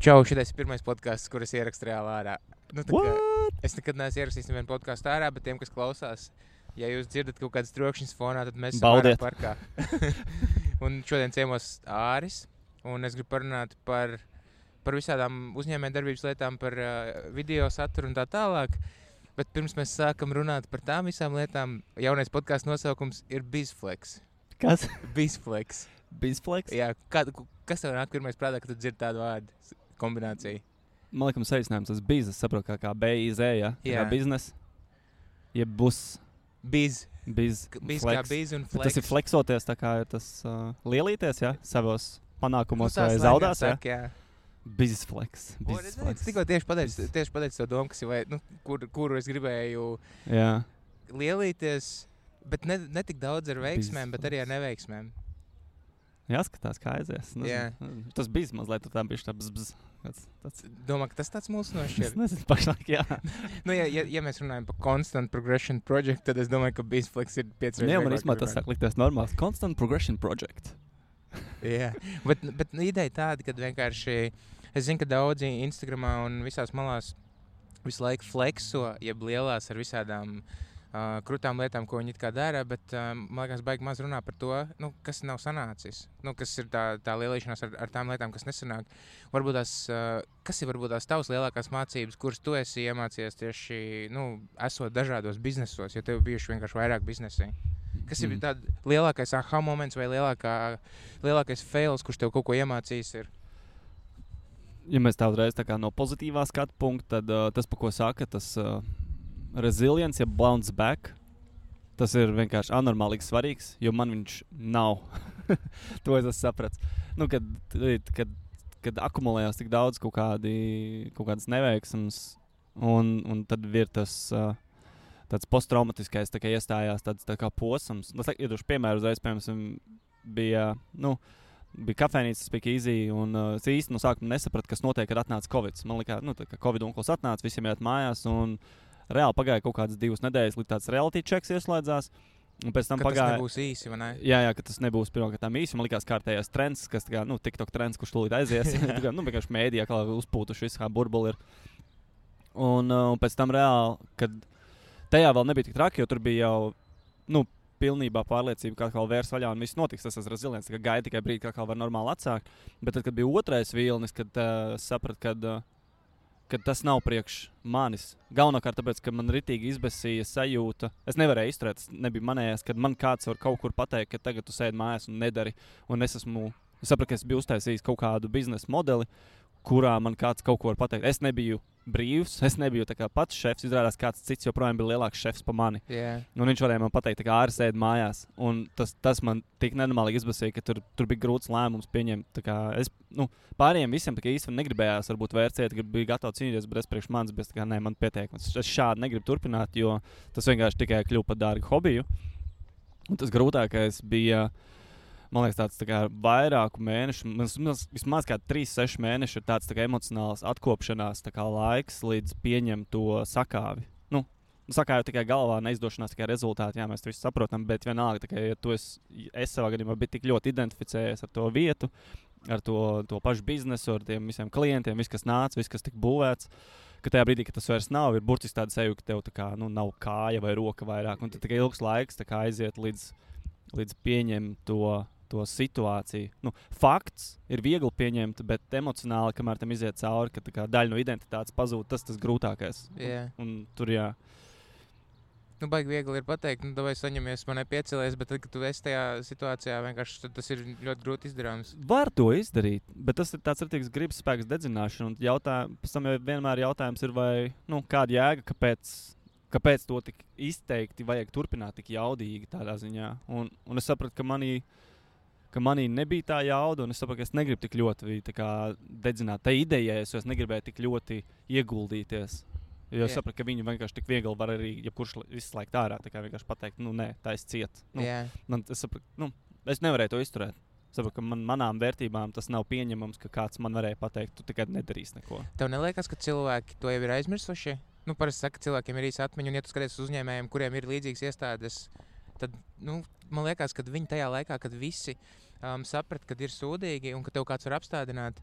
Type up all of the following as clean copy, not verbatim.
Čau, šitais ir pirmais podcasts, kur es ierakstu reāli ārā. Es nekad neesmu ierakstījis nevienu podcastu ārā, bet tiem, kas klausās, ja jūs dzirdat kaut kādas trokšņas fonā, tad mēs esam ārā parkā. Un šodien ciemos Āris, un es gribu parunāt par visādām uzņēmējdarbības lietām, par video saturu un tā tālāk. Bet pirms mēs sākam runāt par tām visām lietām, jaunais podcasts nosaukums ir BizFlex. Kas? BizFlex. BizFlex? Jā, kas tev nāk pirmais prātā, kad tu dzirdi tādu vārdu kombināciju? Man liekas, saīsinājums tas biz, es saprotu, kā B-I-Z, ja? Jā. Kā biznes. Jeb bus. Biz Biz kā biz un flex. Bet tas ir flexoties, tā kā ir tas lielīties, ja? Savos panākumos tā vai zaudās, ja? saka, jā. BizFlex. Es tikko tieši pateicu to domu, kas ir, kuru es gribēju lielīties, bet ne tik daudz ar veiksmēm, bet arī ar neveiksmēm. Jāskatās, kā aizies. Jā. Tas biz mazliet tā bišķi tā bzz. Domā, ka tas tāds mūsu nošķir? Es nezinu, pašlaik, jā. Ja mēs runājam par Constant Progression Project, tad es domāju, ka BizFlex ir 5 reizes. Jā, man īstenībā tas sāk likties normāls. Constant Progression Project. Jā, bet ideja tāda, kad vienkārši, es zinu, ka daudzi Instagramā un visās malās visu laiku flexo, jeb lielās ar visādām krutām lietām, ko viņi it kā dara, bet man liekas, baigi maz runā par to, kas nav sanācis. Kas ir tā lielīšanās ar tām lietām, kas nesanāk. Kas ir varbūt tās tavas lielākās mācības, kuras tu esi iemācījies tieši, esot dažādos biznesos, jo tev bijuši vienkārši vairāk biznesi? Kas ir tāda lielākais aha moments vai lielākais fails, kurš tev kaut ko iemācījis ir? Ja mēs tā uzreiz tā kā no pozitīvā skatu punkta, tad tas, pa ko saka, tas resilience, ja bounce back, tas ir vienkārši anormālīgi svarīgs, jo man viņš nav. To es esmu saprats. Kad akumulējās tik daudz kaut kādas neveiksmes, un tad ir tas tāds posttraumatiskais tā kā iestājās tāds tā kā posms. Iedošu piemēru uzreiz, piemēram, bija kafejnīca, Speak Easy, un es īsti no sākuma nesapratu, kas notiek, kad atnāca Covid. Man likās, tā kā Covid onkls atnāca, visiem iet mājās, un reāli pagāja kaut kādas 2 nedēļas, līdz tāds reality checks ieslēdzās. Un pēc tam tas nebūs īsi, vai ne? Jā, ka tas nebūs pirmkārtām īsi. Man likās kārtējās trends, kas tā kā, TikTok trends, kurš tūlīt aizies. Vienkārši mēdījā kā uzpūtuši visu, kā burbuli ir. Un pēc tam reāli, kad tajā vēl nebija tik traki, jo tur bija jau, pilnībā pārliecība, ka atkal vērs vaļā un viss notiks. Tas resilients, ka gaida tikai brīdi, ka atkal var normāli atsākt. Bet tad, kad bija otrais vilnis, kad sapratu, kad tas nav priekš manis. Galvenokārt tāpēc, ka man ritīgi izbesīja sajūta. Es nevarēju izturēt, tas nebija manējās, kad man kāds var kaut kur pateikt, ka tagad tu sēdi mājās un nedari. Un es sapratu, ka es biju uztaisījis kaut kādu biznesa modeli, kurā man kāds kaut ko var pateikt. Es nebiju brīvs, es nebiju tā kā pats šefs, izrādās kāds cits joprojām bija lielāks šefs pa mani. Yeah. Un viņš varēja man pateikt, kā Āris sēdi mājās. Un tas man tik nenormālīgi izbasīja, ka tur bija grūts lēmums pieņemt. Tā kā es, pārējiem visiem tā kā īsti negribējās varbūt vērciet, ka bija gatavi cīnīties, bet es priekš manis, bet tā kā man pietiek. Es šādi negribu turpināt, jo tas vienkārši tikai kļuva par dārgu hobiju. Un tas grūtākais bija, man liekas, tāds tā kā vairāku mēnešu, vismaz kā 3-6 mēneši ir tāds tā kā emocionāls atkopšanās tā kā laiks, līdz pieņem to sakāvi. Sakāvi tikai galvā, neizdošanās tikai rezultāti, jā, mēs to visu saprotam, bet vienalga, tā kā, ja tu es savā gadījumā biju tik ļoti identificējies ar to vietu, ar to pašu biznesu, ar tiem visiem klientiem, viss, kas nāca, viss, kas tika būvēts, ka tajā brīdī, ka tas vairs nav, ir burtiski tāda sajūta, ka tev tā kā, nav kāja vai roka vairāk, un tad tikai ilgs laiks tā kā aiziet līdz pieņem to situāciju. Fakts ir viegli pieņemt, bet emocionāli, kamēr tam iziet cauri, ka tā kā daļa no identitātes pazūd, tas grūtākais. Yeah. Un tur, jā. Baigi viegli ir pateikt, vai saņemies, man nepiecelies, bet tad, kad tu esi tajā situācijā, vienkārši tas ir ļoti grūti izdarāms. Var to izdarīt, bet tas ir tāds rītīgs gribas spēks dedzināšana. Un pēc tam vienmēr jautājums ir, vai, kāda jēga, kāpēc to tik izteikti vajag turpināt tik jaudīgi tādā ziņā. Un es sapratu, ka manī nebija tā jauda, un es saprotu, ka es negribu tik ļoti dedzināt tai idejai, jo es negribēju tik ļoti ieguldīties. Jo es sapratu, ka viņi vienkārši tik viegli var arī, ja kurš visu laiku ārā, tā kā vienkārši pateikt, nē, tā es ciet. Es sapratu, es nevarēju to izturēt. Es sapratu, ka manām vērtībām tas nav pieņemams, ka kāds man varēja pateikt, tu tikai nedarīsi neko. Tev neliekas, ka cilvēki to jau ir aizmirsuši? Parasti saka, cilvēkiem ir īsa atmiņa, un ja tu skaties uz uzņēmējiem, kuriem ir līdzīgas iestādes, tad, man liekas, ka viņi tajā laikā, kad visi saprat, kad ir sūdīgi un ka tev kāds var apstādināt.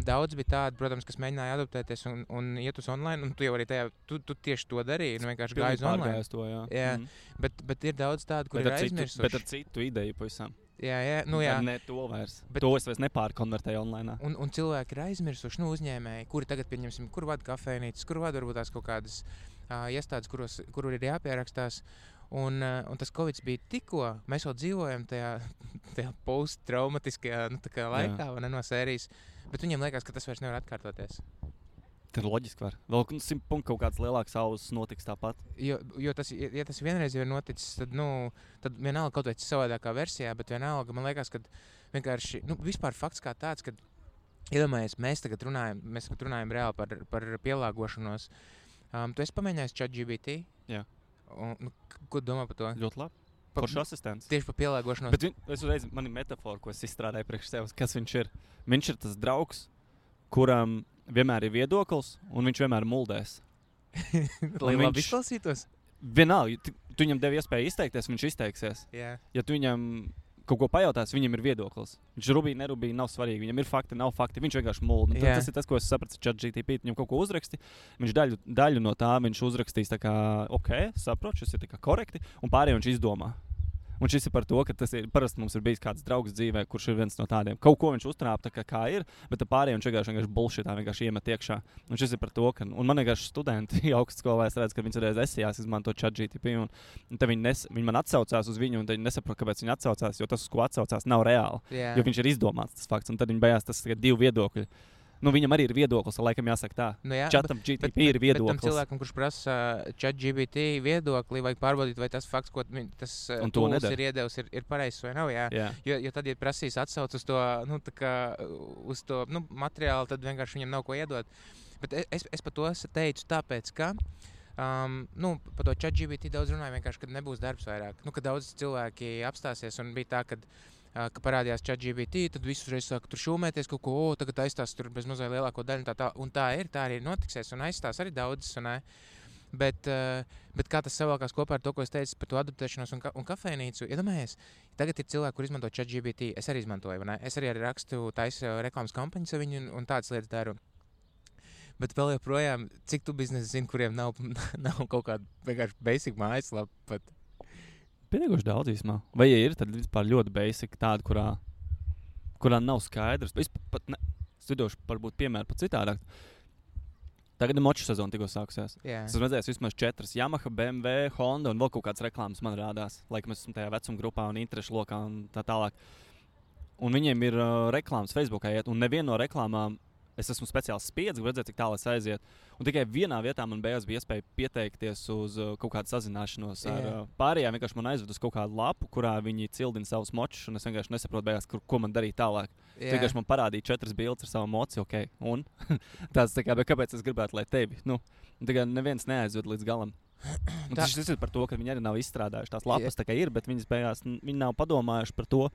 Daudz bija tādi, protams, kas mēģināja adaptēties un iet uz online, un tu jau arī tajā, tu tieši to darīji, vienkārši gāji uz online. To, jā. Bet ir daudz tādu, kur ir aizmirsuši. Bet ar citu ideju pavisam. Jā. Ne to vairs. To es vairs nepārkonvertēju online. Un cilvēki ir aizmirsuši, uzņēmēji, kuri tagad, pieņemsim, kur vada kafejnīcas, kur vada varbūt tās kaut kādas iestādes, kur ir jāpierakstās. Un tas Covid bija tikko, mēs vēl dzīvojam tajā posttraumatiskajā laikā, vai ne, no sērijas, bet viņiem liekas, ka tas vairs nevar atkārtoties. Tas ir loģiski var. Vēl 100 punktu kaut kāds lielāks ausis notiks tāpat. Jo tas, ja tas vienreiz jau ir noticis, tad vienalga kaut vai savādākā versijā, bet vienalga man liekas, ka vienkārši, vispār fakts kā tāds, kad iedomājies, mēs tagad runājam reāli par pielāgošanos. Tu esi pamēģinājis ChatGPT? Jā. Ko domā par to? Ļoti labi. Foršs asistents. Tieši par pielāgošanos. Bet es uzreiz, man ir metafora, ko es izstrādāju priekš sevis, kas viņš ir. Viņš ir tas draugs, kuram vienmēr ir viedoklis, un viņš vienmēr muldēs. Lai labi izklausītos? Vienalga, tu viņam devi iespēju izteikties, viņš izteiksies. Jā. Ja tu viņam kaut ko pajautās, viņam ir viedoklis. Viņš rubīja, nerubīja, nav svarīgi. Viņam ir fakti, nav fakti. Viņš vienkārši mulda. Tas ir tas, ko es sapratu ar ChatGPT. Viņam kaut ko uzraksti. Viņš daļu no tā viņš uzrakstīs tā kā, saprotu, šis ir tā kā korekti, un pārējo viņš izdomā. Un šis ir par to, ka tas ir parasti mums ir bijis kāds draugs dzīvē, kurš ir viens no tādiem. Kaut ko viņš uztrāpa tā kā ir, bet pārējiem viņš vienkārši bullshitā vienkārši iemet iekšā. Un šis ir par to, ka, un man vienkārši studenti augstskolā es redzu, ka viņi reiz esijās izmanto ChatGPT, un tad viņi man atsaucās uz viņu, un tad viņi nesaprot, kāpēc viņi atsaucās, jo tas, uz ko atsaucās, nav reāli. Yeah. Jo viņš ir izdomāts tas fakts, un tad viņi bejās tas divi viedokļi. Viņam arī ir viedoklis, laikam jāsaka tā. Chatam GPT ir viedoklis. Bet tam cilvēkam, kurš prasa ChatGPT viedokli, vajag pārbaudīt, vai tas fakts, ko tas tools ir iedevis, ir pareizs vai nav. Jā. Jo tad, ja prasīs atsauc uz to, uz to materiālu, tad vienkārši viņam nav ko iedot. Bet es par to teicu tāpēc, ka par to ChatGPT daudz runāju vienkārši, kad nebūs darbs vairāk. Kad daudz cilvēki apstāsies un bija tā, ka parādījās ChatGPT, tad visus reiz sāka tur šūmēties kaut ko, tagad aizstās tur bez mazai lielāko daļu, un tā arī notiksies, un aizstās arī daudzas, bet kā tas savalkās kopā ar to, ko es teicu par to adaptēšanos un kafejnīcu, iedomājies, tagad ir cilvēki, kur izmanto ChatGPT, es arī izmantoju, vai ne? Es arī rakstu taisu reklāmas kampaņas ar viņu un tādas lietas daru. Bet vēl joprojām, cik tu biznesi zini, kuriem nav kaut kāda vienkārši basic mājaslapa pat? Pietiekoši daudz īsumā. Vai ja ir, tad vispār ļoti basic tāda, kurā nav skaidrs. Es pat studošu varbūt piemēru pat citādāk. Tagad ir moču sezona tikko sākusies. Yeah. Es esmu redzējis vismaz 4 Yamaha, BMW, Honda un vēl kaut kādas reklāmas man rādās. Laikam es esmu tajā vecuma grupā un interešu lokā un tā tālāk. Un viņiem ir reklāmas Facebookā iet, un neviena no reklāmām es esmu speciāli spiedzi, redzēt, cik tālu es aiziet. Un tikai vienā vietā man bija iespēja pieteikties uz kaut kādu sazināšanos ar pārējām. Vienkārši man aizved uz kaut kādu lapu, kurā viņi cildina savus močus, un es vienkārši nesaprotu beigās, ko man darīt tālāk. Vienkārši man parādīja 4 bildes ar savu moci, un tāds tā kā, bet kāpēc es gribētu, lai tevi? Tagad neviens neaizved līdz galam. Tas ir par to, ka viņi arī nav izstrādājuši tās lapas, tā kā ir, bet viņas beigās viņi nav padomājuši par to,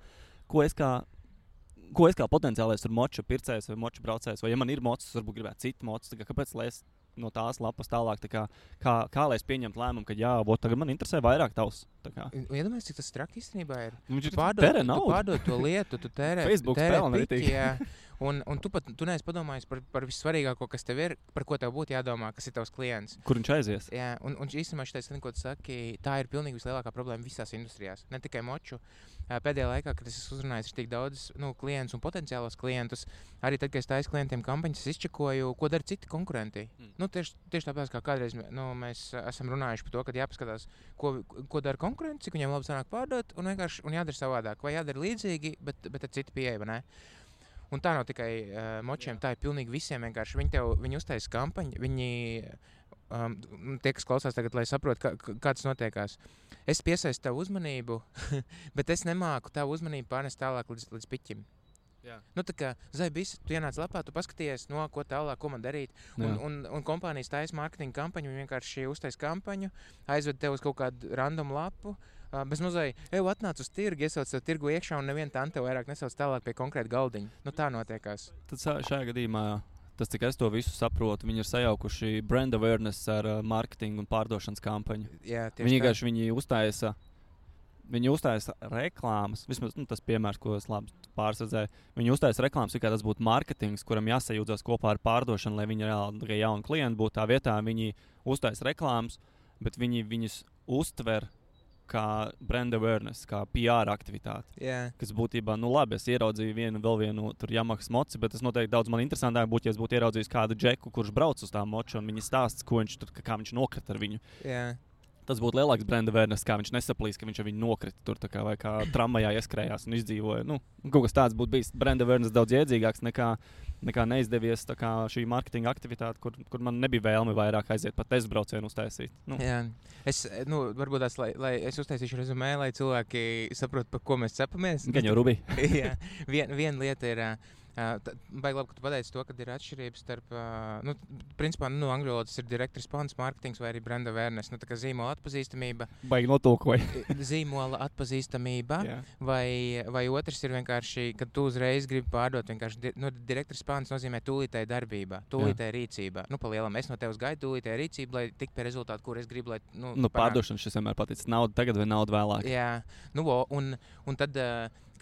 ko es kā potenciālais moču pircējs vai moču braucējs, vai ja man ir mocis, varbūt gribētu citu mocis, kāpēc lai es no tās lapas tālāk, kā lai es pieņemtu lēmumu, ka tagad man interesē vairāk tavs. Iedomājies, cik tas traki īstenībā ir. Tu pārdod to lietu, tu tērē piķi, un tu neesi padomājis par vissvarīgāko, kas tev ir, par ko tev būtu jādomā, kas ir tavs klients. Kur viņš aizies? Jā, un īstenībā šitais, ko tu saki, tā ir pilnīgi vislielākā problēma visās industrijās, ne tikai moču. Pēdējā laikā, kad es esmu uzrunājis ir tik daudz klientus un potenciālos klientus, arī tad, kad es taisu klientiem kampaņas, es izčekoju, ko dara citi konkurenti. Tieši tāpēc, kā kādreiz mēs esam runājuši par to, ka jāpaskatās, ko dara konkurenti, cik viņiem labi sanāk pārdot, un jādara savādāk, vai jādara līdzīgi, bet ar citu pieeju, vai ne? Un tā nav tikai močiem, tā ir pilnīgi visiem vienkārši. Viņi uztaisa kampaņu, tie, kas klausās tagad, lai saprot, kā tas notiekās. Es piesaistu tavu uzmanību, bet es nemāku tavu uzmanību pārnest tālāk līdz piķim. Jā. Tā kā Zaibis, tu ienāc lapā, tu paskaties, ko tālāk, ko man darīt. Un kompānijas taisa mārketinga kampaņu, viņi vienkārši uztaisa kampaņu, aizved tev uz kaut kādu random lapu, bez mazai, atnāc uz tirgu, iesauc tev tirgu iekšā un neviena tante vairāk nesauc tālāk pie konkrēta galdiņa. Tā notiekās. Tad šajā gadījumā, tas, cik es to visu saprotu, viņi ir sajaukuši brand awareness ar marketingu un pārdošanas kampaņu. Jā, viņi uztaisa Viņi uztaisa reklāmas, vismaz tas piemērs, ko es labi pārsadzēju. Viņi uztaisa reklāmas, kā tas būtu mārketings, kuram jāsajūdzas kopā ar pārdošanu, lai viņi reāli tikai jauni klienti būtu. Tā vietā viņi uztaisa reklāmas, bet viņi viņus uztver kā brand awareness, kā PR aktivitāti. Yeah. Kas būtībā, labi, es ieraudzīju vēl vienu tur Yamaha moci, bet tas noteikti daudz man interesantāk būtu, ja es būtu ieraudzījis kādu džeku, kurš brauc uz tā moču un viņa stāsts, ko viņš tur, kā viņš nokrita ar viņu. Yeah. Tas būtu lielāks brand awareness, kā viņš nesaplīs, ka viņš ar viņu nokrita tur, vai kā tramvajā ieskrējās un izdzīvoja. Kaut kas tāds būtu bijis brand awareness daudz iedzīgāks nekā neizdevies šī marketinga aktivitāte, kur man nebija vēlme vairāk aiziet pat testu braucienu uztaisīt. Jā. Es, varbūt tās, lai es uztaisīšu rezumē, lai cilvēki saprot, par ko mēs cepamies. Gan jau Rubi. Jā. Viena lieta ir... Baigi labi, ka tu pateici to, ka ir atšķirības starp, principā, angļu valodas ir direct response marketings vai arī brand awareness, tā kā zīmola atpazīstamība. Baigi notulkoja. Zīmola atpazīstamība, yeah. vai otrs ir vienkārši, kad tu uzreiz gribi pārdot, vienkārši, direct response nozīmē tūlītēja darbība, tūlītēja rīcība. Pa lielam, es no tevis gaidu tūlītēja rīcību, lai tik pie rezultātu, kur es gribu, lai, pārdošana šis vienmēr paticis. Nauda tagad vai nauda vēlāk. Jā, un tad...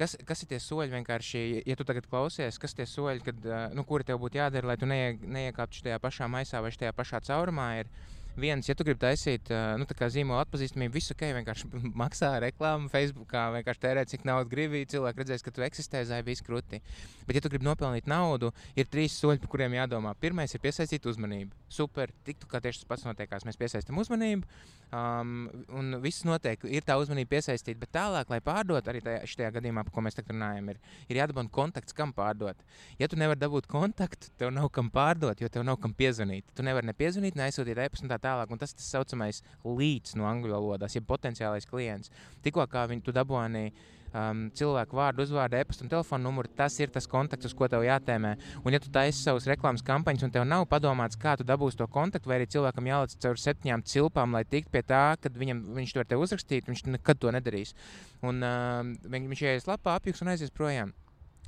Kas ir tie soļi vienkārši, ja tu tagad klausies, kas ir tie soļi, kad, kuri tev būtu jādara, lai tu neiekāptu šajā pašā maisā vai šajā pašā caurumā? Ir viens, ja tu gribi taisīt tā kā zīmola atpazīstamību, visu ok, vienkārši maksā reklāmu Facebookā, vienkārši tērē, cik naudu gribi, cilvēki redzēs, ka tu eksistē, zai viss kruti. Bet, ja tu gribi nopelnīt naudu, ir 3 soļi, par kuriem jādomā. Pirmais ir piesaistīt uzmanību. Super, tiktu kā tieši tas pats notiekās. Mēs piesaistam uzmanību, un viss notiek, ir tā uzmanība piesaistīta, bet tālāk, lai pārdot, arī šajā gadījumā, par ko mēs tagad runājam, ir jādabūna kontakts, kam pārdot. Ja tu nevari dabūt kontaktu, tev nav kam pārdot, jo tev nav kam piezvanīt. Tu nevari ne piezvanīt, ne aizsūtīt e-pastu un tā tālāk, un tas saucamais leads no angļu valodās, ja potenciālais klients. Tikko kā tu dabūni cilvēku vārdu, uzvārdu, e-pastu un telefonu numuru, tas ir tas kontakts, uz ko tev jātēmē. Un ja tu taisi savus reklāmas kampaņas un tev nav padomāts, kā tu dabūsi to kontaktu, vai arī cilvēkam jālec caur 7 cilpām, lai tiktu pie tā, kad viņš to var tev uzrakstīt, viņš nekad to nedarīs. Un viņš ieies lapā, apjuks un aizies projām.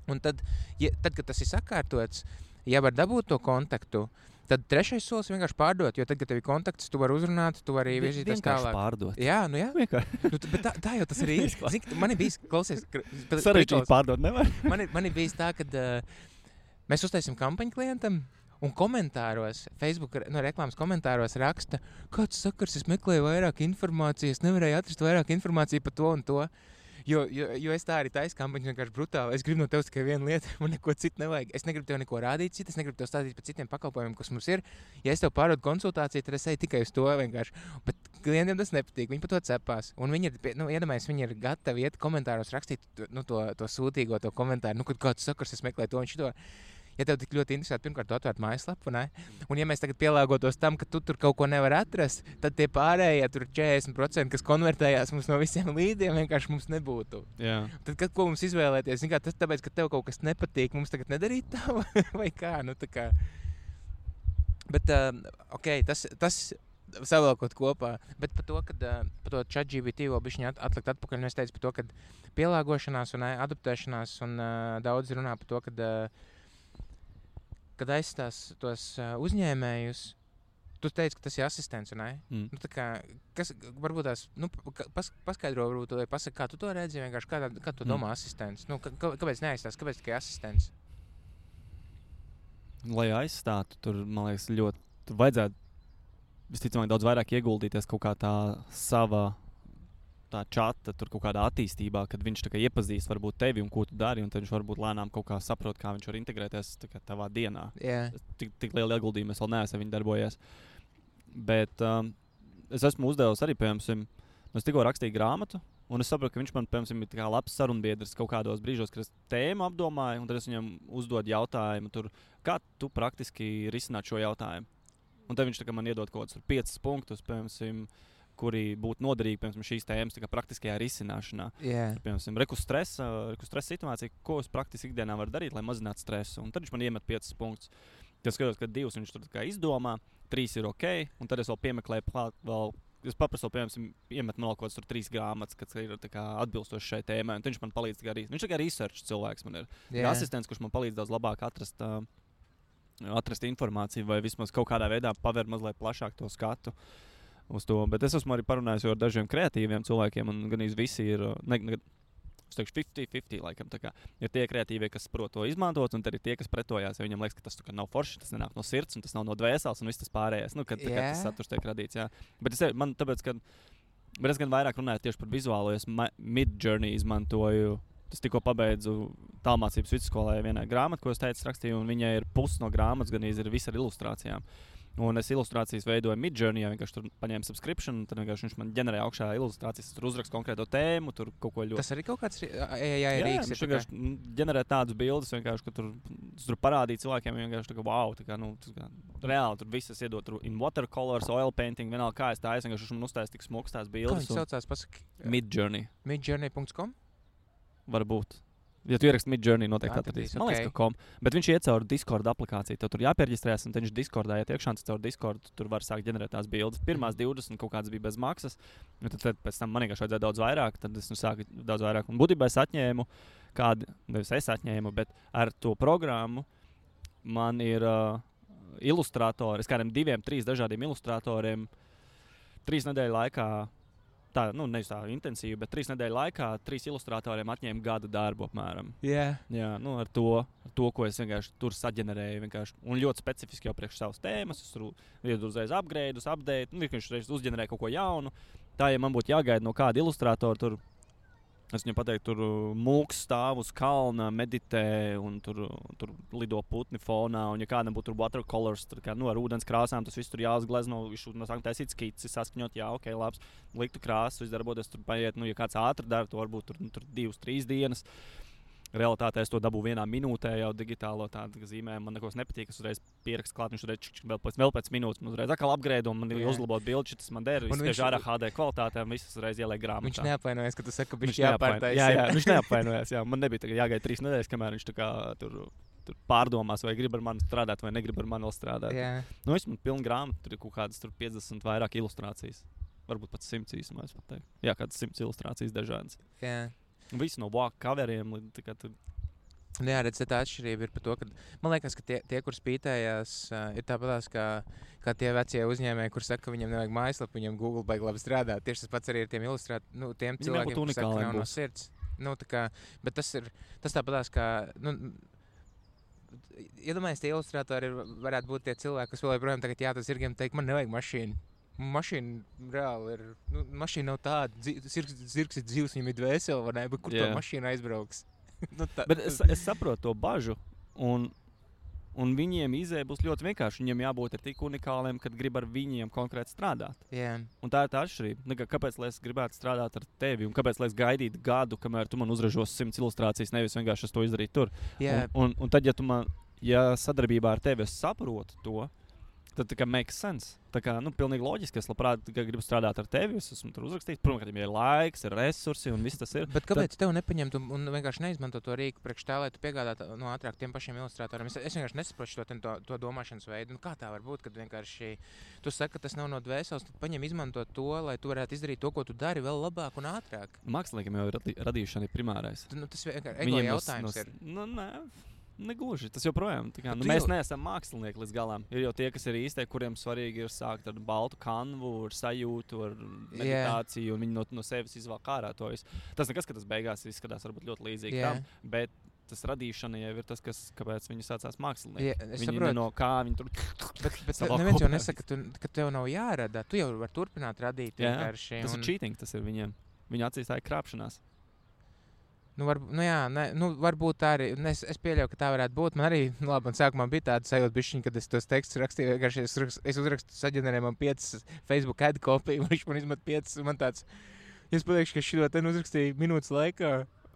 Un tad, kad tas ir sakārtots, ja var dabūt to kontaktu, tad trešais solis vienkārši pārdot, jo tad, kad tev ir kontakts, tu vari uzrunāt, tu vari virzīties tālāk. Pārdot. Jā, jā. Bet tā jau tas ir īsti. Man ir bijis, klausies... Sarežģīt pārdot nevar. Man ir bijis tā, kad mēs uztaisim kampaņu klientam, un komentāros, Facebook reklāmas komentāros raksta, kāds sakars, es meklēju vairāk informācijas, nevarēju atrast vairāk informāciju par to un to. Jo es tā arī taisu kampaņu vienkārši brutāli. Es gribu no tevis tikai vienu lietu, man neko citu nevajag. Es negribu tev neko rādīt citu, es negribu tev stāstīt par citiem pakalpojumiem, kas mums ir. Ja es tev pārdodu konsultāciju, tad es eju tikai uz to vienkārši. Bet klientiem tas nepatīk, viņi par to cepās. Un viņi ir, iedomājies, viņi ir gatavi iet komentāros rakstīt to sūtīgo, to komentāru. Kad kāds sakars, es meklēju to un šito. Ja tev tik ļoti interesē, pirmkārt, tu atvērt mājaslapu, ne? Un ja mēs tagad pielāgotos tam, ka tu tur kaut ko nevar atrast, tad tie pārējie tur 40%, kas konvertējās mums no visiem līdiem, vienkārši mums nebūtu. Jā. Tad, ko mums izvēlēties? Tas tāpēc, ka tev kaut kas nepatīk, mums tagad nedarīt tā, vai kā? Tā kā. Bet, ok, tas savēlkot kopā. Bet par to ChatGPT vēl bišķiņ atlikt atpakaļ, es teicu par to, ka pielāgošanās un adaptēšanās, un daudz runā par to, kad aizstās tos uzņēmējus, tu teici, ka tas ir asistents, ne? Tā kā, varbūt tās, paskaidro, varbūt, vai pasaka, kā tu to redzi, vienkārši kā tu domā asistents? Kāpēc neaizstās, kāpēc tikai asistents? Lai aizstātu, tur, man liekas, tur vajadzētu visticamāk daudz vairāk ieguldīties kaut kā tā sava tā čata, tur kaut kādā attīstībā, kad viņš tā kā iepazīst varbūt tevi un ko tu dari, un tad viņš varbūt lēnām kaut kā saprot, kā viņš var integrēties tavā dienā. Yeah. Tik liela ieguldījuma es vēl neesmu, ja viņi darbojas. Bet es esmu uzdevusi arī, piemēram, es tikko rakstīju grāmatu, un es saprotu, ka viņš man, piemēram, ir labs sarunbiedrs kaut kādos brīžos, kad es tēmu apdomāju, un tad es viņam uzdodu jautājumu, kā tu praktiski risināt šo jautājumu. Un tad viņš man iedod kaut kādus 5 punktus, piemēram, kuri būtu noderīgi, piemēram, šīs tēmas praktiskajā risināšanā. Yeah. Piemēram, reku stresa situācija, ko es praktiski ikdienā varu darīt, lai mazinātu stresu. Un tad viņš man iemet 5 punktus. Tad skatos, ka 2 viņš tur izdomā, 3 ir ok, un tad es vēl piemeklēju vēl, es paprasu, piemēram, iemet man vēl kaut kāds 3 grāmatas, kas ir atbilstoši šai tēmai, un viņš man palīdz viņš tikai research cilvēks man ir. Yeah. Asistents, kurš man palīdz daudz labāk atrast informāciju vai vismaz kaut kādā veidā pavērt mazliet plašāk to skatu. uz to. Bet es esmu arī parunājis ar dažiem kreatīviem cilvēkiem, un gan visi ir, es teikšu, 50-50 laikam. Tā kā ir tie kreatīvie, kas prot to izmantot, un tad ir tie, kas pretojās, ja viņam liekas, ka tas nav forši, tas nenāk no sirds, un tas nav no dvēseles, un viss tas pārējais. Nu, kad tas saturs tiek radīts, jā. Bet es gan vairāk runāju tieši par vizuālo, es Midjourney izmantoju. Es tikko pabeidzu tālmācības vidusskolē vienai grāmatu, ko es teicu, rakstīju, un viņai ir pusi no grāmatas, gan ir viss ar ilustrācijām. Un es ilustrācijas veidoju Midjourney, ja vienkārši tur paņēmu subscription, un tad vienkārši viņš man ģenerē augšā ilustrācijas, tur uzrakstu konkrēto tēmu, tur kaut ko ļoti. Tas arī kaut kāds rīks. Viņš vienkārši ģenerē tādus bildes, vienkārši, ka tur parādīja cilvēkiem, vienkārši tā kā wow, tā kā, reāli tur visas iedot tur in watercolors, oil painting, vienalga kā es tā, es vienkārši man uztaisīju tik smuks tās bildes. Kā viņš saucās, pasaki? Midjourney. Midjourney.com? Varbūt. Ja tu ieraksti Midjourney, noteikti atradīs. Man liekas, ka kom. Bet viņš iet caur Discord aplikāciju. Tev tur jāpiereģistrējas, un viņš Discordā iet iekšā, un caur Discord tur var sākt ģenerēt tās bildes. Pirmās 20 kaut kādas bija bez maksas, un tad pēc tam man vienkārši vajadzēja daudz vairāk, tad es sāku daudz vairāk. Un būtībā es atņēmu nevis es atņēmu, bet ar to programmu man ir ilustratori, es kādiem 2-3 dažādiem ilustratoriem 3 nedēļu laikā. Tā, nevis tā intensīvi, bet 3 nedēļu laikā 3 ilustratoriem atņēma gada darbu apmēram. Yeah. Jā, ar to, ko es vienkārši tur saģenerēju. Vienkārši. Un ļoti specifiski jau priekš savas tēmas. Es tur uzreiz upgrade, viņš uzreiz uzģenerēja kaut ko jaunu. Tā, ja man būtu jāgaida no kāda ilustratora, tur es viņam pateiktu, tur mūks stāv uz kalna, meditē, un tur lido putni fonā. Un ja kādam būtu watercolors, ar ūdens krāsām, tas viss tur jāuzglezno, viņš sāk taisīt skici, saskaņot, jā, ok, labs, liktu krāsas, viss darboties, tur paiet, ja kāds ātri dara, to varbūt tur 2-3 dienas. Realitātē es to dabūju 1 minūtē jau digitālo tādu zīmējumu. Man nekos nepatīk, es uzreiz pierakstu klāt, viņš uzreiz vēl pēc minūtes, man uzreiz atkal upgrade, un man ir uzlabot bildi, tas man der, viss ārā HD kvalitātē, un viss uzreiz ieliek grāmatā. Viņš neapvainojas, ka tu saki, ka viņš jāpārtais. Jā, viņš neapvainojas, jā. Man nebija tagad jāgaida 3 nedēļas, kamēr viņš tā kā tur pārdomās, vai grib ar mani strādāt, vai negrib ar mani vēl strādāt. Yeah. Es man pilnu grāmatu, tur ir kaut kādas 50 vairāk ilustrācijas. Varbūt pat 100 īsumā, es pat teiktu. Jā, kādas 100 ilustrācijas dažādas. Yeah. Visi no walk coveriem līdz tur. Jā, redz, tā atšķirība ir par to, ka man liekas, ka tie kur spītējās, ir tāpatās kā tie vecie uzņēmēji, kur saka, ka viņiem nevajag mājaslapu, viņiem Google baigi labi strādāt. Tieši tas pats arī ir tiem tiem cilvēkiem, kur saka, ka nav no sirds. Bet tas tāpatās kā, iedomājies, tie ilustratori varētu būt tie cilvēki, kas vēl joprojām tagad jā, tas ir gan teikt, man nevajag mašīnu. Mašīna reāli ir, mašīna nav tāda, zirgs ir dzīvs, viņam ir dvēseli, vai ne, bet kur to mašīnu aizbrauks? Bet es saprotu to bažu, un viņiem izēja būs ļoti vienkārši. Viņiem jābūt tik unikāliem, kad grib ar viņiem konkrēti strādāt. Yeah. Un tā ir tā atšķirība. Kāpēc lai es gribētu strādāt ar tevi, un kāpēc lai es gaidītu gadu, kamēr tu man uzražos 100 ilustrācijas, nevis vienkārši es to izdarītu tur. Yeah. Un tad, ja sadarbībā ar tevi es saprotu to, tad tā kā makes sense. Tā kā, pilnīgi loģiski, es labprāt gribu strādāt ar tevi, es esmu tur uzrakstījis. Protams, ka viņam ir laiks, ir resursi un viss tas ir. Bet kāpēc tev nepaņemt un vienkārši neizmanto to rīku priekš tā, lai tu piegādātu ātrāk tiem pašiem ilustratoriem? Es vienkārši nesaprotu to domāšanas veidu. Kā tā var būt, kad vienkārši tu saki, ka tas nav no dvēseles, tad paņem izmantot to, lai tu varētu izdarīt to, ko tu dari vēl labāk un ātrāk? Māksliniekam jau ir radīšana primārais. Tas vienkārši ego jautājums ir. Negluži, tas joprojām. Mēs neesam mākslinieki līdz galam. Ir jau tie, kas ir īstie, kuriem svarīgi ir sākt ar baltu kanvu, ar sajūtu, ar meditāciju, un viņi no sevis izvelk ārā to visu. Tas nekas, ka tas beigās izskatās varbūt ļoti līdzīgi tam, bet tas radīšana jau ir tas, kāpēc viņi sācās mākslinieki. Es viņi saprotu. No kā viņi tur... Bet neviens jau nesaka, ka tev nav jārada. Tu jau vari turpināt radīt vienkārši. Tas ir cheating, tas ir viņiem. Viņi acīs tā ir krāpšanās. Varbūt tā arī. Es pieļauju, ka tā varētu būt. Man arī, man sākumā bija tāda sajūta bišķiņa, kad es tos tekstus rakstīju. Vienkārši es uzrakstu saģenerēju man 5 Facebook ad kopiju, viņš man izmet 5. Man tāds, es pateikšu, ka šito te uzrakstīju minūtes laikā.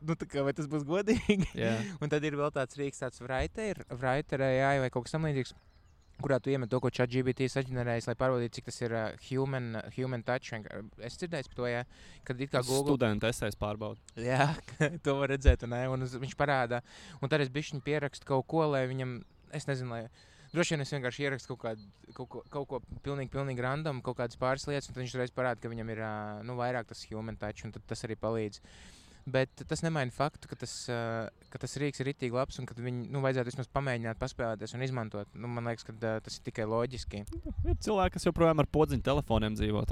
Vai tas būs godīgi? Yeah. Un tad ir vēl tāds rīks, tāds Writer AI vai kaut kas tam līdzīgs, kurā tu iemet to, ko ChatGPT saģenerējis, lai pārbaudītu, cik tas ir human touch. Es dzirdēju par to, kad it kā Google... Studenta esejas pārbauda. Jā, to var redzēt, un viņš parāda. Un tad es bišķiņ pierakstu kaut ko, lai viņam, es nezinu, droši vien es vienkārši ierakstu kaut ko pilnīgi random, kaut kādas pāris lietas, un tad viņš reiz parāda, ka viņam ir, vairāk tas human touch, un tad tas arī palīdz. Bet tas nemaina faktu, ka tas rīks ir ritīgi labs un ka viņi vajadzētu vismaz pamēģināt, paspēlēties un izmantot. Man liekas, ka tas ir tikai loģiski. Ir cilvēki, kas joprojām ar podziņu telefoniem dzīvo.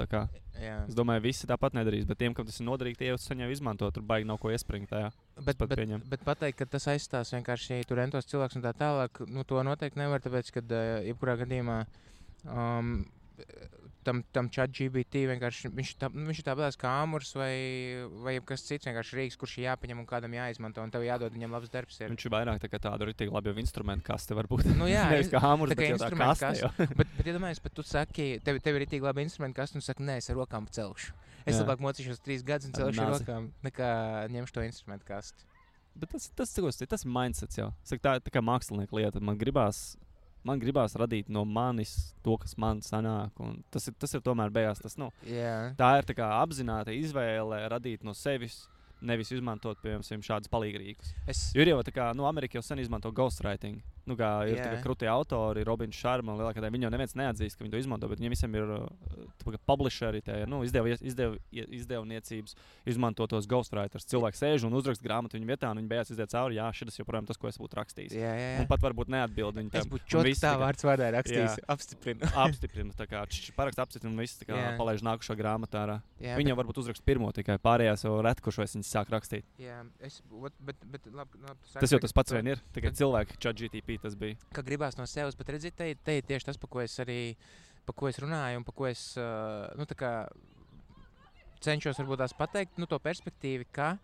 Jā. Es domāju, visi tāpat nedarīs, bet tiem, kam tas ir noderīgi, tie jau saņem izmantot. Tur baigi nav ko iespringt tajā. Bet pateikt, ka tas aizstās vienkārši tur entos cilvēks un tā tālāk, to noteikti nevar, tāpēc, ka jebkurā gadījumā tam ChatGPT vienkārši viņš ir tāpēc kā āmurs vai kas cits vienkārši rīks, kurš ir jāpaņem un kādam jāizmanto un tev jādod viņam labs darbs. Viņš ir vairāk tā kā tādu ritīgi labi jau instrumentu kaste varbūt. Jā, nevis kā āmurs, bet jau tā kaste. Bet iedomājies, bet tu saki, tev ir ritīgi labi instrumentu kaste un saki, nē, es ar rokām celšu. Es labāk mocīšos 3 gadus un celšu ar rokām, nekā ņemšu to instrumentu kastu. Bet tas ir mindsets jau. Tā kā mākslinieka lieta. Man gribās radīt no manis to, kas man sanāk. Tas ir tomēr beigās. Tā ir tā kā apzināta izvēle radīt no sevis, nevis izmantot, piemēram, šādus palīgrīkus. Jo ir jau tā kā, Amerika jau sen izmanto ghostwriting. Ir tā kā krutie autori, Robins Sharma, lielākā daļa. Viņi jau neviens neatzīst, ka viņi to izmanto, bet viņiem visiem ir publisheri, izdevniecības izmanto tos ghostwriters. Cilvēks sēž un uzraksta grāmatu viņa vietā, un viņi beigās iziet cauri, jā, šis joprojām tas, ko es būtu rakstījis. Un pat varbūt neatbild viņi tam. Es būtu čotki tā vārds vārdā rakstījis. Apstiprinu. Apstiprinu, tā kā parakst apstiprinu un viss tā kā palaiž nākušo grāmatu ārā. Viņi jau varbūt uzraksta pirmo tikai, pārējās jau ret, kurš viņas sāk rakstīt. Jā, bet labi, tas jau tas pats vien ir, tikai cilvēki ChatGPT tas bija. Ka gribās no sevis, bet redziet, te ir tieši tas, par ko es runāju un par ko es cenšos varbūt tās pateikt, to perspektīvi, ka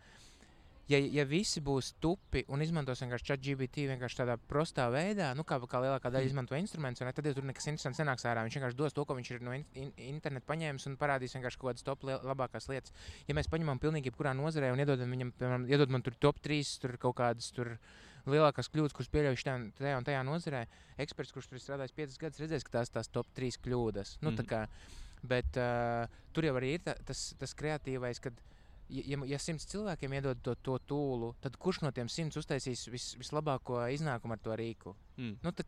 ja visi būs tupi un izmantos vienkārši ChatGPT vienkārši tādā prostā veidā, kā lielākā daļa izmanto instrumentus, tad jau tur nekas interesants nenāks ārā. Viņš vienkārši dos to, ko viņš ir no interneta paņēmis un parādīs vienkārši kaut kādas top labākās lietas. Ja mēs paņemam pilnīgi jebkurā nozarē un iedodam viņam, piemēram, iedod man tur top 3, tur kaut kādas tur lielākās kļūdas, kuras pieļauj tajā un tajā nozarē, eksperts, kurš tur ir strādājis 5 gadus, redzēs, ka tās top 3 kļūdas. Bet tur jau arī ir tas kreatīvais, kad ja 100 cilvēkiem iedod to tūlu, tad kurš no tiem 100 uztaisīs vislabāko iznākumu ar to rīku?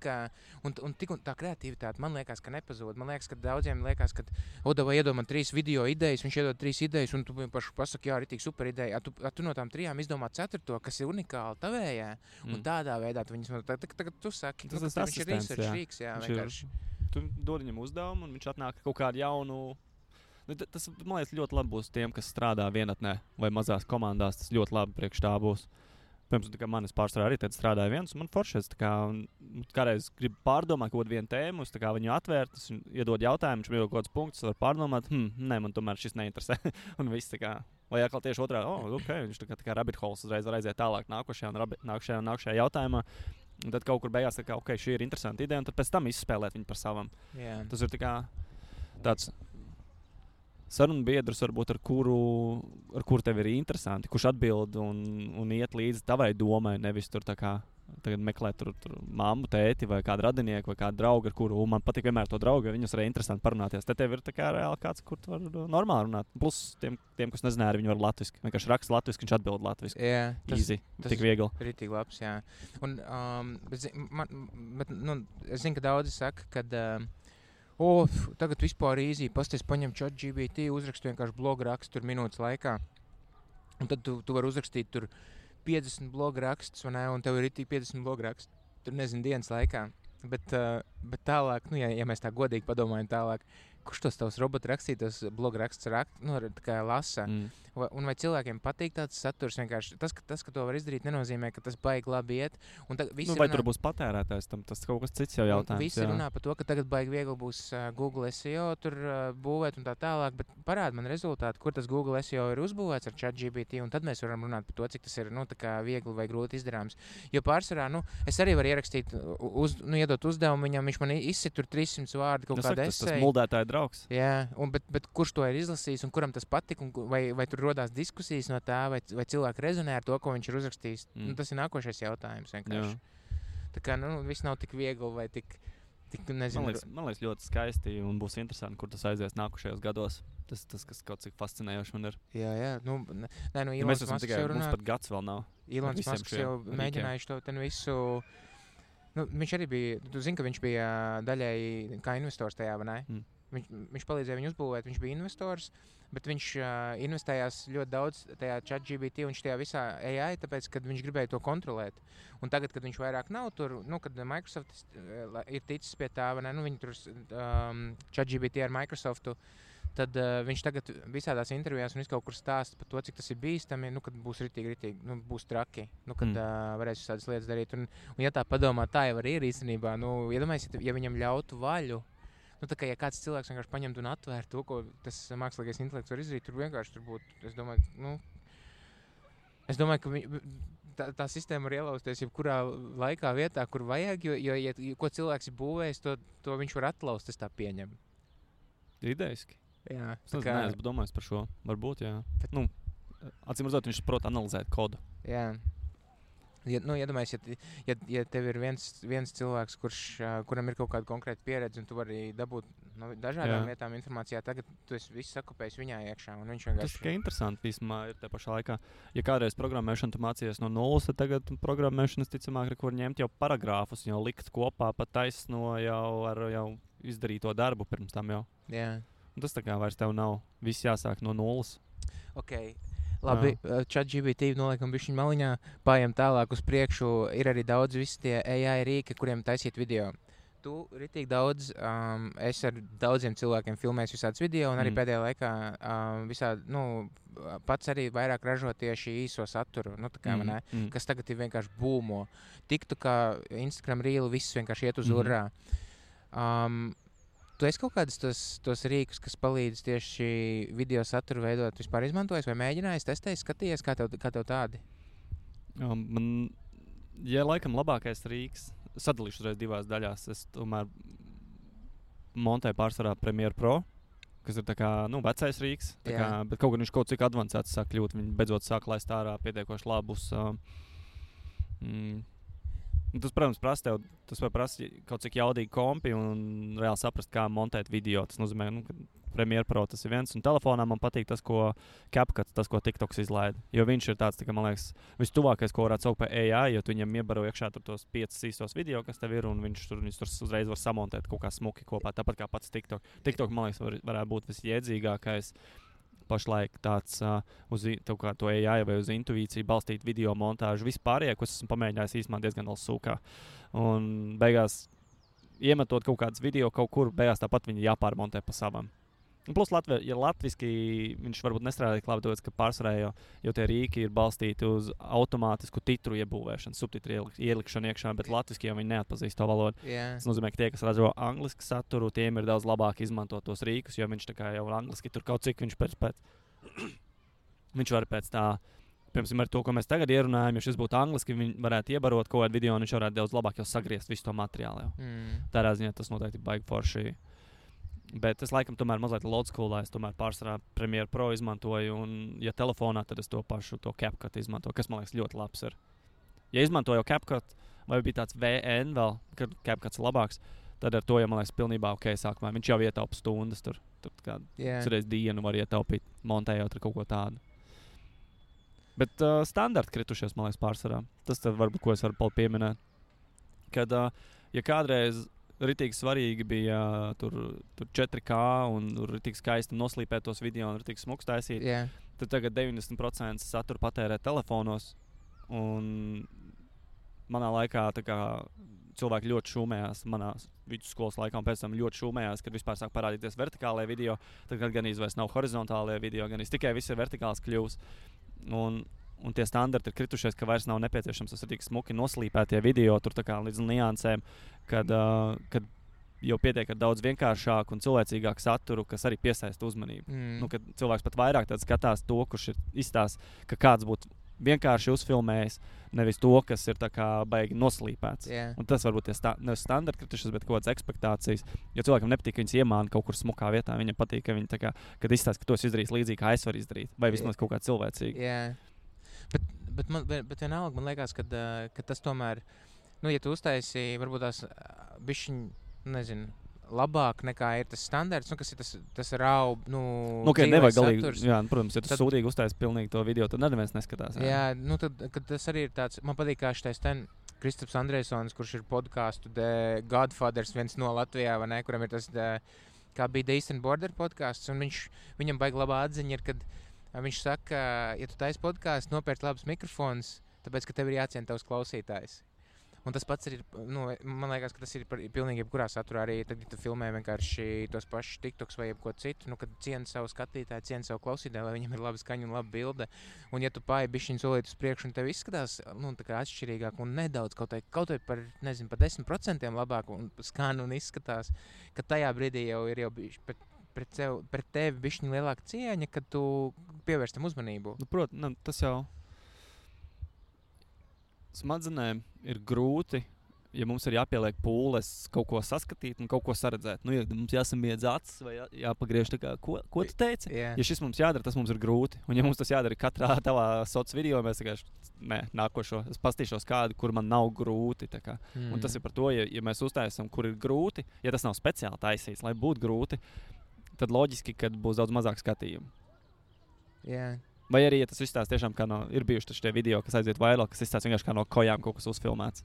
Tā kreativitāte man liekas, ka nepazūd. Man liekas, ka daudziem liekas, ka Odava iedod man 3 video idejas, viņš iedod 3 idejas, un tu pašu pasaki, jā, ritīgi super ideja. Tu no tām 3 izdomā 4, kas ir unikāli tavējā, un tādā veidā tu viņus, tagad tu saki, viņš ir research rīks, jā, vienkārši. Tu dod viņam uzdevumu, un viņš atnāk kaut kādu jaunu. Tas, man liekas, ļoti labi būs tiem, kas strādā vienatnē vai mazās komandās. Tas ļoti labi priekš tā būs. Piemēram, manis pārsvarā arī tad strādāja viens, un man foršais, kādreiz gribu pārdomāt kaut vienu tēmu, viņu atvērt, tas iedod jautājumu, viņš iedod kaut kāds punkts, var pārdomāt, nē, man tomēr šis neinteresē. Un viss tā kā, vai atkal tieši otrā, viņš tā kā rabbit holes uzreiz var aiziet tālāk nākošajā jautājumā. Un tad kaut kur beigās tā kā, šī ir interesanta ideja, un tad pēc tam izspēlēt viņu par savam. Yeah. Tas ir tā kā tāds sarunu biedrs, varbūt ar kuru tev ir interesanti, kurš atbild un iet līdzi tavai domai, nevis tur tā kā tagad meklēt tur mammu, tēti vai kādu radinieku vai kādu draugu, ar kuru man patīk vienmēr to draugu, jo viņus arī interesanti parunāties. Tad tev ir tā kā reāli kāds, kur tu var normāli runāt. Plus tiem kas nezināja, viņi var latviski. Vienkārši raksta latviski, viņš atbild latviski. Jā, easy, tik viegli. Ritīgi labs, jā. Un, es zinu, ka daudzi saka, kad tagad vispār īzī, pasties paņem ChatGPT, uzrakstu vienkārši blogu rakstu tur minūtes laikā. Un tad tu vari uzrakstīt tur 50 blogu rakstus, vai ne, un tev ir itī 50 blogu rakstu, tur nezinu, dienas laikā. Bet tālāk, ja mēs tā godīgi padomājam tālāk, kurš tos tavs robotu rakstītos blogu rakstus lasa? Un vai cilvēkiem patīk tāds saturs? Vienkārši tas, ka to var izdarīt, nenozīmē, ka tas baigi labi iet. Vai tur būs patērētājs, tas kaut kas cits jau jautājums. Visi runā par to, ka tagad baigi viegli būs Google SEO tur būvēt un tā tālāk, bet parāda man rezultātu, kur tas Google SEO ir uzbūvēts ar ChatGPT, un tad mēs varam runāt par to, cik tas ir tā kā viegli vai grūti izdarāms. Jo pārsvarā, es arī varu ierakstīt, iedot uzdevumu viņam, viņš man izsit tur 300 vārdu kaut kādu eseju. Tas muldētāja draugs. Jā, bet kurš to ir izlasījis un kuram tas patika, vai tur rodās diskusijas no tā, vai cilvēki rezonē ar to, ko viņš ir uzrakstījis. Tas ir nākošais jautājums vienkārši. Tā kā, viss nav tik viegli vai tik nezinu. Man liekas ļoti skaisti un būs interesanti, kur tas aizies nākošajos gados. Tas kas kaut cik fascinējoši man ir. Jā. Mēs esam tikai, mums pat gads vēl nav. Ilons Masks jau mēģinājuši to ten visu. Viņš arī bija, tu zini, ka viņš bija daļēji kā investors tajā, vai ne? viņš palīdzēja viņu uzbūvēt, viņš bija investors, bet viņš investējās ļoti daudz tajā ChatGPT un tajā visā AI, tāpēc, kad viņš gribēja to kontrolēt. Un tagad, kad viņš vairāk nav tur, kad Microsoft ir ticis pie tā, vai ne, viņi tur ChatGPT ar Microsoftu, tad viņš tagad visādās intervijās un kaut kur stāsta par to, cik tas ir bīstami, kad būs ritīgi, būs traki, kad varēs visādas lietas darīt. Un ja tā padomā, tā jau arī ir īstenībā, iedomājies, ja viņam ļautu vaļu, tā kā ja kāds cilvēks vienkārši paņemtu un atvērtu to, ko tas mākslīgais intelekts var izdarīt, tur vienkārši būtu, es domāju, ka tā sistēma var ielausties jebkurā laikā vietā, kur vajag, jo ko cilvēks ir būvējis, to viņš var atlaust, es tā pieņemu. Idejiski. Jā. Es neesmu domājis par šo. Varbūt, jā. Acīm redzot, viņš prot analizēt kodu. Jā. Iedomājies, ja tev ir viens cilvēks, kuram ir kaut kāda konkrēta pieredze, un tu vari dabūt no dažādām vietām informācijā, tagad tu esi viss sakopējis viņā iekšā, un viņš vienkārši... Tas tikai interesanti vismā ir te pašā laikā. Ja kādreiz programmēšanu tu mācījies no nulles, tad tagad programmēšanas ticamāk var ņemt jau paragrāfus, jau likt kopā pat taisno jau izdarīto darbu pirms tam jau. Jā. Un tas tā kā vairs tev nav viss jāsāk no nulles. Ok. Labi, ChatGPT noliekam bišķiņ maliņā, pājam tālāk uz priekšu, ir arī daudz visi tie AI rīki, kuriem taisīt video. Tu ritīgi daudz, es ar daudziem cilvēkiem filmēju visādus video, un arī pēdējā laikā pats arī vairāk ražo tieši īso saturu, kas tagad ir vienkārši būmo. Tiktu kā Instagram Reel, viss vienkārši iet uz urrā. Tu esi kaut kādus tos rīkus, kas palīdz tieši video saturu veidot, vispār izmantojis vai mēģinājis, testējis, skatījies, kā tev tādi? Laikam labākais rīks, sadalīšu uzreiz divās daļās, es tomēr montēju pārsvarā Premiere Pro, kas ir tā kā, vecais rīks, bet kaut gan viņš kaut cik advancēts sāk kļūt, viņi beidzot sāk laist ārā pietiekoši labus. Tas, protams, prasa kaut cik jaudīgi kompi un reāli saprast, kā montēt video. Tas nozīmē, ka Premiere Pro tas ir viens, un telefonā man patīk tas, ko CapCut, tas, ko TikToks izlaida. Jo viņš ir tāds, man liekas, vistuvākais, ko varētu saukt par AI, jo tu viņam iebaro iekšā tos 5 īstos video, kas tev ir, un viņš tur uzreiz var samontēt kaut kā smuki kopā, tāpat kā pats TikTok. TikTok, man liekas, varētu būt visjēdzīgākais pašlaik tāds uz to AI vai uz intuīciju balstīt video montāžu. Vispārējie, ko esmu pamēģinājis īstenībā diezgan vēl sūkā. Un beigās, iemetot kaut kādas video kaut kur, beigās tāpat viņi jāpārmontē pa savam. Un plus, ja latviski viņš varbūt nestrādā tik labi, tāpēc, ka pārsvarā jau tie rīki ir balstīti uz automātisku titru iebūvēšanu, subtitru ielikšanu iekšā, bet latviski jau viņi neatpazīst to valodu. Yeah. Tas nozīmē, ka tie, kas ražo angliski saturu, tiem ir daudz labāk izmantot tos rīkus, jo viņš tā kā jau angliski tur kaut cik viņš viņš var pēc tā, piemēram, ar to, ko mēs tagad ierunājam, ja šis būtu angliski, viņi varētu iebarot kaut kādu video, un viņš varētu daudz labāk jau sagriezt visu to materiālu. Tādā ziņā tas noteikti baigi forši. Bet es laikam tomēr mazliet old schoolā, es tomēr pārsvarā Premiere Pro izmantoju, un ja telefonā, tad es to pašu CapCut izmantoju, kas man liekas ļoti labs ir. Ja izmantoju CapCut, vai bija tāds VN vēl, kad CapCuts ir labāks, tad ar to, ja man liekas, pilnībā ok sākumā. Viņš jau ietaupa stundas, tur kā reiz dienu var ietaupīt, montējot ar kaut ko tādu. Bet standarti kritušies, man liekas, pārsvarā. Tas tad varbūt, ko es varu pieminēt. Kad, ja kādreiz ritīgi svarīgi bija tur 4K un ritīgi skaisti noslīpēt tos video un ritīgi smuks taisīt, tad tagad 90% satura patērē telefonos. Un manā laikā tā kā cilvēki ļoti šūmējās, manā vidusskolas laikā un pēc tam ļoti šūmējās, kad vispār sāk parādīties vertikālie video, tad gan vairs nav horizontālie video, gan tikai viss ir vertikāls kļūs. Un tie standarti ir kritušies, ka vairs nav nepieciešams tas tik smuki noslīpētie video, tur tā kā līdz niansēm, kad jau pietiek ar daudz vienkāršāku un cilvēcīgāku saturu, kas arī piesaista uzmanību. Kad cilvēks pat vairāk skatās to, kurš ir izstāsts, ka kāds būtu vienkārši uzfilmējis, nevis to, kas ir tā kā baigi noslīpēts. Un tas varbūt nevis standarti kritušies, bet kaut kādas ekspektācijas. Jo cilvēkam nepatīk, ka viņas iemāna kaut kur smukā vietā. Viņam patīk, ka viņi tā kā, kad izstāsta, ka to es izdarīju līdzīgi, kā es varu izdarīt. Vai vismaz kaut kā cilvēcīgi. Bet vienalga, man liekas, ka tas tomēr, ja tu uztaisi varbūt tās bišķiņ, nezinu, labāk nekā ir tas standarts, kas ir tas rau, nevajag galīgi, protams, ja tu sūdīgi uztaisi pilnīgi to video, tad neviens neskatās. Tad tas arī ir tāds, man patīk, kā šitais Kristaps Andrejsons, kurš ir podcastu The Godfathers, viens no Latvijā, vai ne, kuram ir tas kā bija The Eastern Border podcasts, un viņam baigi labā atziņa ir, kad viņš saka, ja tu taisi podcastu, nopērc labus mikrofonus, tāpēc, ka tev ir jāciena tavs klausītājs. Un tas pats ir, man liekas, ka tas ir pilnīgi jebkurā saturā arī, tad, ja tu filmē vienkārši tos pašus TikToks vai jebko citu, kad ciena savu skatītāju, ciena savu klausītāju, lai viņam ir laba skaņa un laba bilde. Un ja tu pāji bišķiņu solīt uz priekšu un tev izskatās, tā kā atšķirīgāk un nedaudz, kaut vai par 10% labāk un skan un izskatās, ka tajā brīdī jau ir pret tevi bišķiņu lielāka cieņa, kad tu pievērš tam uzmanību. Protams, tas jau smadzenēm ir grūti, ja mums ir jāpieliek pūles kaut ko saskatīt un kaut ko saredzēt. Ja mums jāsamiedz acis vai jāpagriež tā kā, ko tu teici? Yeah. Ja šis mums jādara, tas mums ir grūti. Un ja mums tas jādara katrā tavā soc video, mēs nākošo, es pastīšos kādu, kur man nav grūti. Un tas ir par to, ja mēs uztaisam, kur ir grūti, ja tas nav speciāli taisīts, lai būtu grūti, tad loģiski, kad būs daudz mazāk skatījumu. Yeah. Vai arī, ja tas izstāsta tiešām kā ir bijuši tie video, kas aiziet vairāk, kas izstāsta vienkārši kā no kojām kaut kas uzfilmēts.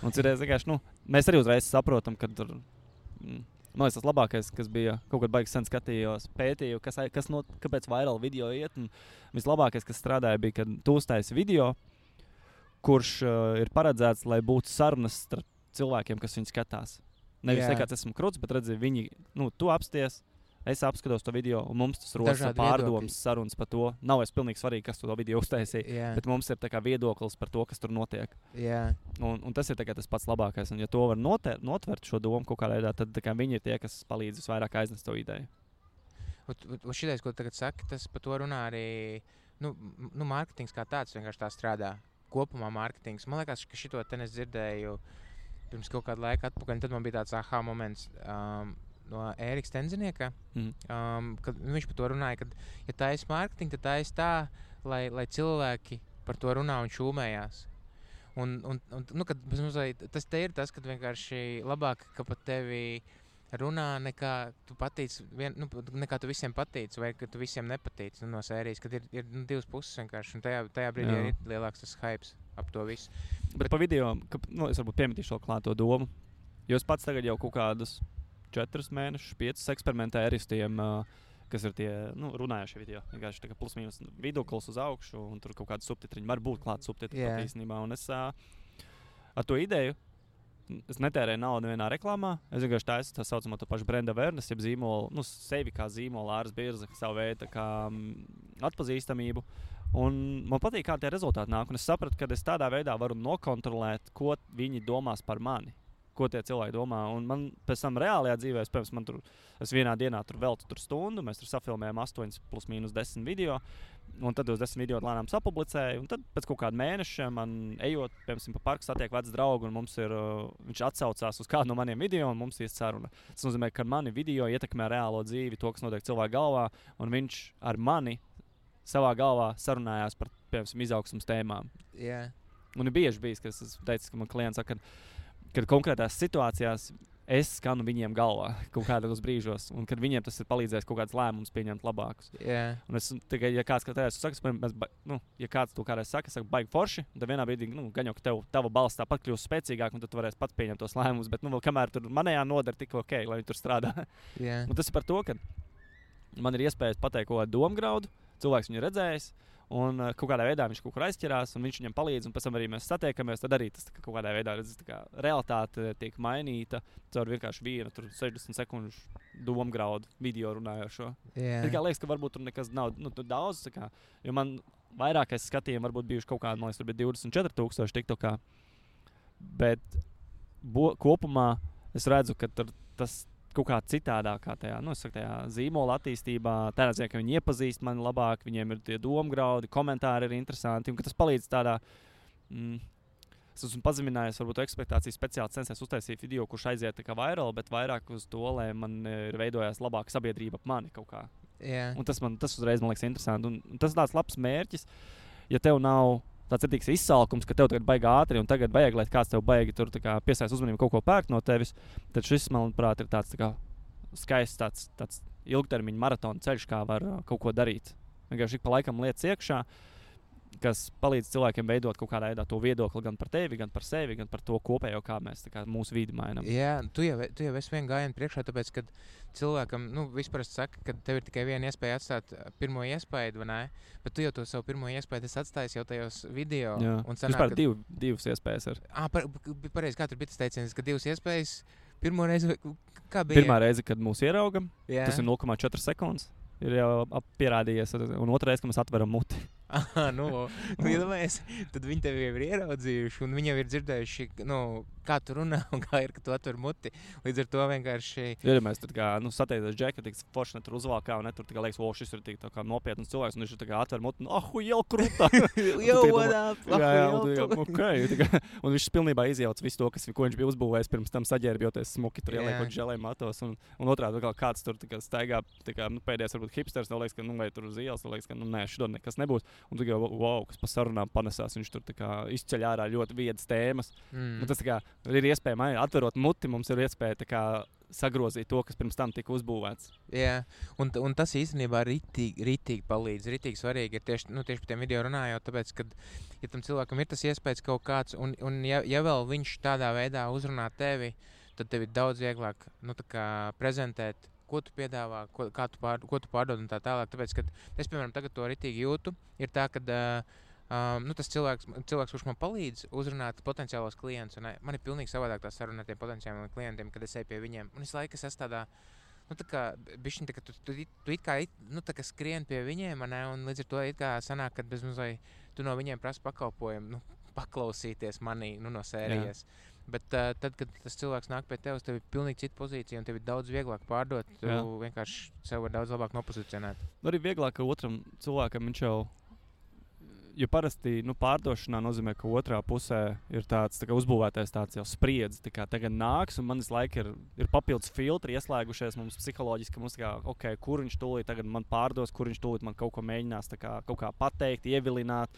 Un cerēs vienkārši, mēs arī uzreiz saprotam, ka tur, man liekas, tas labākais, kas bija kaut kad baigi sen skatījos, pētīju, kāpēc vairāk video iet, un vislabākais, kas strādāja, bija, kad tu uztaisi video, kurš ir paredzēts, lai būtu sarunas starp cilvēkiem, kas viņu skatās. Nevis nekāds esmu kruts, bet redzi, viņi, tu apsties, es apskatos to video, un mums tas rodas pārdomas sarunas par to. Nav pilnīgi svarīgi, kas to video uztaisīja, bet mums ir tā kā viedoklis par to, kas tur notiek. Un tas ir tas pats labākais. Un ja to var notvert šo domu kaut kādā veidā, tad viņi ir tie, kas palīdz visvairāk aiznest to ideju. Šitais, ko tagad saki, tas par to runā arī, mārketings kā tāds vienkārši tā strādā. Kopumā mārketings. Man liekas, ka šito te es dzirdēju pirms kaut kādu laiku atpakaļ, tad man bija tāds aha moments, no Ērika Stenzinieka, kad viņš par to runāja, ka, ja taisi mārketingu, tad taisi tā, lai cilvēki par to runā un šūmējās. Tas te ir tas, kad vienkārši labāk, ka pat tevi runā, nekā tu patīc, nekā tu visiem patīc, vai ka tu visiem nepatīc no sērijas, kad ir divas puses vienkārši, un tajā brīdī ir lielāks tas hypes ap to visu. Bet pa video, es varbūt piemetīšu vēl klāt to domu, jo es pats tagad jau kaut kādus 4 mēnešus, 5 eksperimentēju ar tiem, kas ir tie runājošie video. Vienkārši tā kā plus mīnus vidoklis uz augšu, un tur kaut kādi subtitriņi var būt klāt subtitri pat īstenībā. Un es ar to ideju, es netērēju naudu vienā reklāmā. Es vienkārši taisu tā saucamo to pašu brand awareness, jeb zīmolu, sevi kā zīmolu, āras birza, savu veidu kā atpazīstamību. Un man patīk, kā tie rezultāti nāk. Un es sapratu, ka es tādā veidā varu nokontrolēt, ko viņi domās par mani. Ko tie cilvēki domā. Un man pēc tam reālajā dzīvē, es vienā dienā tur veltu stundu, mēs tur safilmējām 8 plus mīnus 10 video, un tad uz 10 video lēnām sapublicēju, un tad pēc kaut kāda mēneša man ejot, piemēram, pa parku satiek vecs draugu, un viņš atsaucās uz kādu no maniem video, un mums ir saruna. Tas nozīmē, ka mani video ietekmē reālo dzīvi, to, kas notiek cilvēku galvā, un viņš ar mani savā galvā sarunājās par, piemēram, izaugsmas tēmām. Yeah. Un ir bieži bijis, ka es teicu, ka man klients saka, kad konkrētās situācijās es skanu viņiem galvā kaut kādos brīžos, un kad viņiem tas ir palīdzējis kaut kāds lēmums pieņemt labākus. Yeah. Un es tikai, ja kāds saka, ja kāds to kādreiz saka, baigi forši, tad vienā brīdī, gan jau, ka tava balss tāpat kļūst spēcīgāk, un tad tu varēsi pats pieņemt tos lēmumus, bet, vēl kamēr tur manējā nodara tik ok, lai viņi tur strādā. Yeah. Un tas ir par to, ka man ir iespējas pateikt kaut kādu domgraudu, cilvēks viņu redzējis, un kaut kādā veidā viņš kaut kur aizķerās, un viņš viņam palīdz, un pēc tam arī mēs satiekamies, tad arī tas kaut kādā veidā realitāte tiek mainīta caur vienkārši vienu 60 sekundžu domgraudu video runājošo. Yeah. Tikai liekas, ka varbūt tur nekas nav daudz, jo man vairākais skatījumi varbūt bijuši kaut kādi, man liekas, tur bija 24,000 TikTokā, bet kopumā es redzu, ka tas kaut kā citādākā tajā zīmola attīstībā, tādā ziņā, ka viņi iepazīst mani labāk, viņiem ir tie domgraudi, komentāri ir interesanti, un ka tas palīdz tādā, es esmu pazeminājies, varbūt ekspektācijas speciāli censies uztaisīt video, kurš aiziet tā kā viral, bet vairāk uz to, lai man ir veidojās labāka sabiedrība ap mani kaut kā. Yeah. Un tas uzreiz man liekas interesanti, un tas ir tāds labs mērķis, ja tev nav tāds ir izsalkums, ka tev tagad baigi ātri, un tagad vajag, lai kāds tev baigi tur piesaist uzmanību kaut ko pērkt no tevis, tad šis, manuprāt, ir tāds skaists tāds ilgtermiņa maratona ceļš, kā var kaut ko darīt. Vienkārši ik pa laikam lietas iekšā, kas palīdz cilvēkiem veidot kaut kādā veidā to viedokli gan par tevi, gan par sevi, gan par to kopējo, kā mēs mūsu vidi mainām. Jā, tu jau esi vienu gājienu priekšā, tāpēc, kad cilvēkam, vispār saka, ka tev ir tikai viena iespēja atstāt pirmo iespaidu, vai ne? Bet tu jau to savu pirmo iespaidu esi atstājis jau tajos video. Jā, un sanāk, vispār divas iespējas ir. Pareizi, kā tur bija tas teiciens, ka divas iespējas, pirmo reizi, kā bija? Pirmā reize, kad mūs ieraugam, Jā. tas ir 0,4 sekundes. Ir jau pierādījies, un otrā reize, kad mēs atveram muti. Iedomājies, tad viņi tevi jau ir ieraudzījuši, un viņi jau ir dzirdējuši, kā tu runā un kā ir, ka tu atver muti. Līdz ar to vienkārši... Ja mēs tur kā, satiecies džeka, tik forši ne tur uzvalkā, un ne tur liekas, šis ir tik tā kā nopietns cilvēks, un viņš ir atver muti, jau krūtā. Un viņš pilnībā izjauc visu to, ko viņš bija uzbūvējis pirms tam saģērbjoties smuki, tur ieliekot želē matos, un otrādi kāds tur staigā, pēdējais varbūt hipsters, liekas, ka, vai tur uz ielas, liekas, ka, nē, šodien nekas nebūs. Un tu jau, kas pa sarunām panesās, viņš tur izceļ ārā ļoti viedas tēmas. Tas ir iespēja, atverot muti, mums ir iespēja sagrozīt to, kas pirms tam tika uzbūvēts. Jā, un tas īstenībā ritīgi palīdz, ritīgi svarīgi ir tieši par tiem video runājot, tāpēc, ka, ja tam cilvēkam ir tas iespējas kaut kāds, un ja vēl viņš tādā veidā uzrunā tevi, tad tev ir daudz vieglāk, prezentēt, ko tu piedāvā, ko tu pārdod un tā tālāk. Tāpēc, kad es, piemēram, tagad to ritīgi jūtu, ir tā, ka tas cilvēks, kurš man palīdz uzrunāt potenciālos klientus, un man ir pilnīgi savādāk tā saruna ar tiem potenciāliem klientiem, kad es eju pie viņiem. Un es laikas esmu tādā, bišķiņ, ka tu it kā skrien pie viņiem, un līdz ar to it kā sanāk, kad bezmazliet tu no viņiem prasa pakalpojumu, paklausīties manī, no sērijas. Jā. Bet tad, kad tas cilvēks nāk pie tevis, tev ir pilnīgi cita pozīcija un tev ir daudz vieglāk pārdot. Tu vienkārši sev var daudz labāk nopozicionēt. Arī vieglāk, ka otram cilvēkam viņš jau... Jo parasti pārdošanā nozīmē, ka otrā pusē ir tāds uzbūvētais tāds jau spriedzi. Tagad nāks, un man visu laiku ir papildus filtri ieslēgušies mums psiholoģiski. Mums kur viņš tūlīt tagad man pārdos, kur viņš tūlīt man kaut ko mēģinās kaut kā pateikt, ievilināt,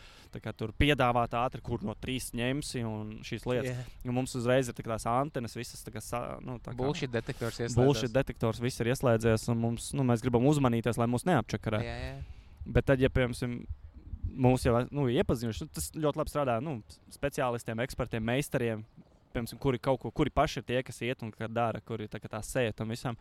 tur piedāvāt ātri, kur no 3 ņemsi un šīs lietas. Yeah. Un mums uzreiz ir tās antenas, visas bullshit detektors ieslēdzies. Bullshit detektors viss ir ieslēdzies, un mums, mēs gribam uzmanīties, lai mūs neapčakarē. Yeah. Bet tad, ja piemēram, mūs jau iepazinuši, tas ļoti labi strādā speciālistiem, ekspertiem, meistariem, piemēram, kuri paši ir tie, kas iet un dara, kuri tā sēja tam visam.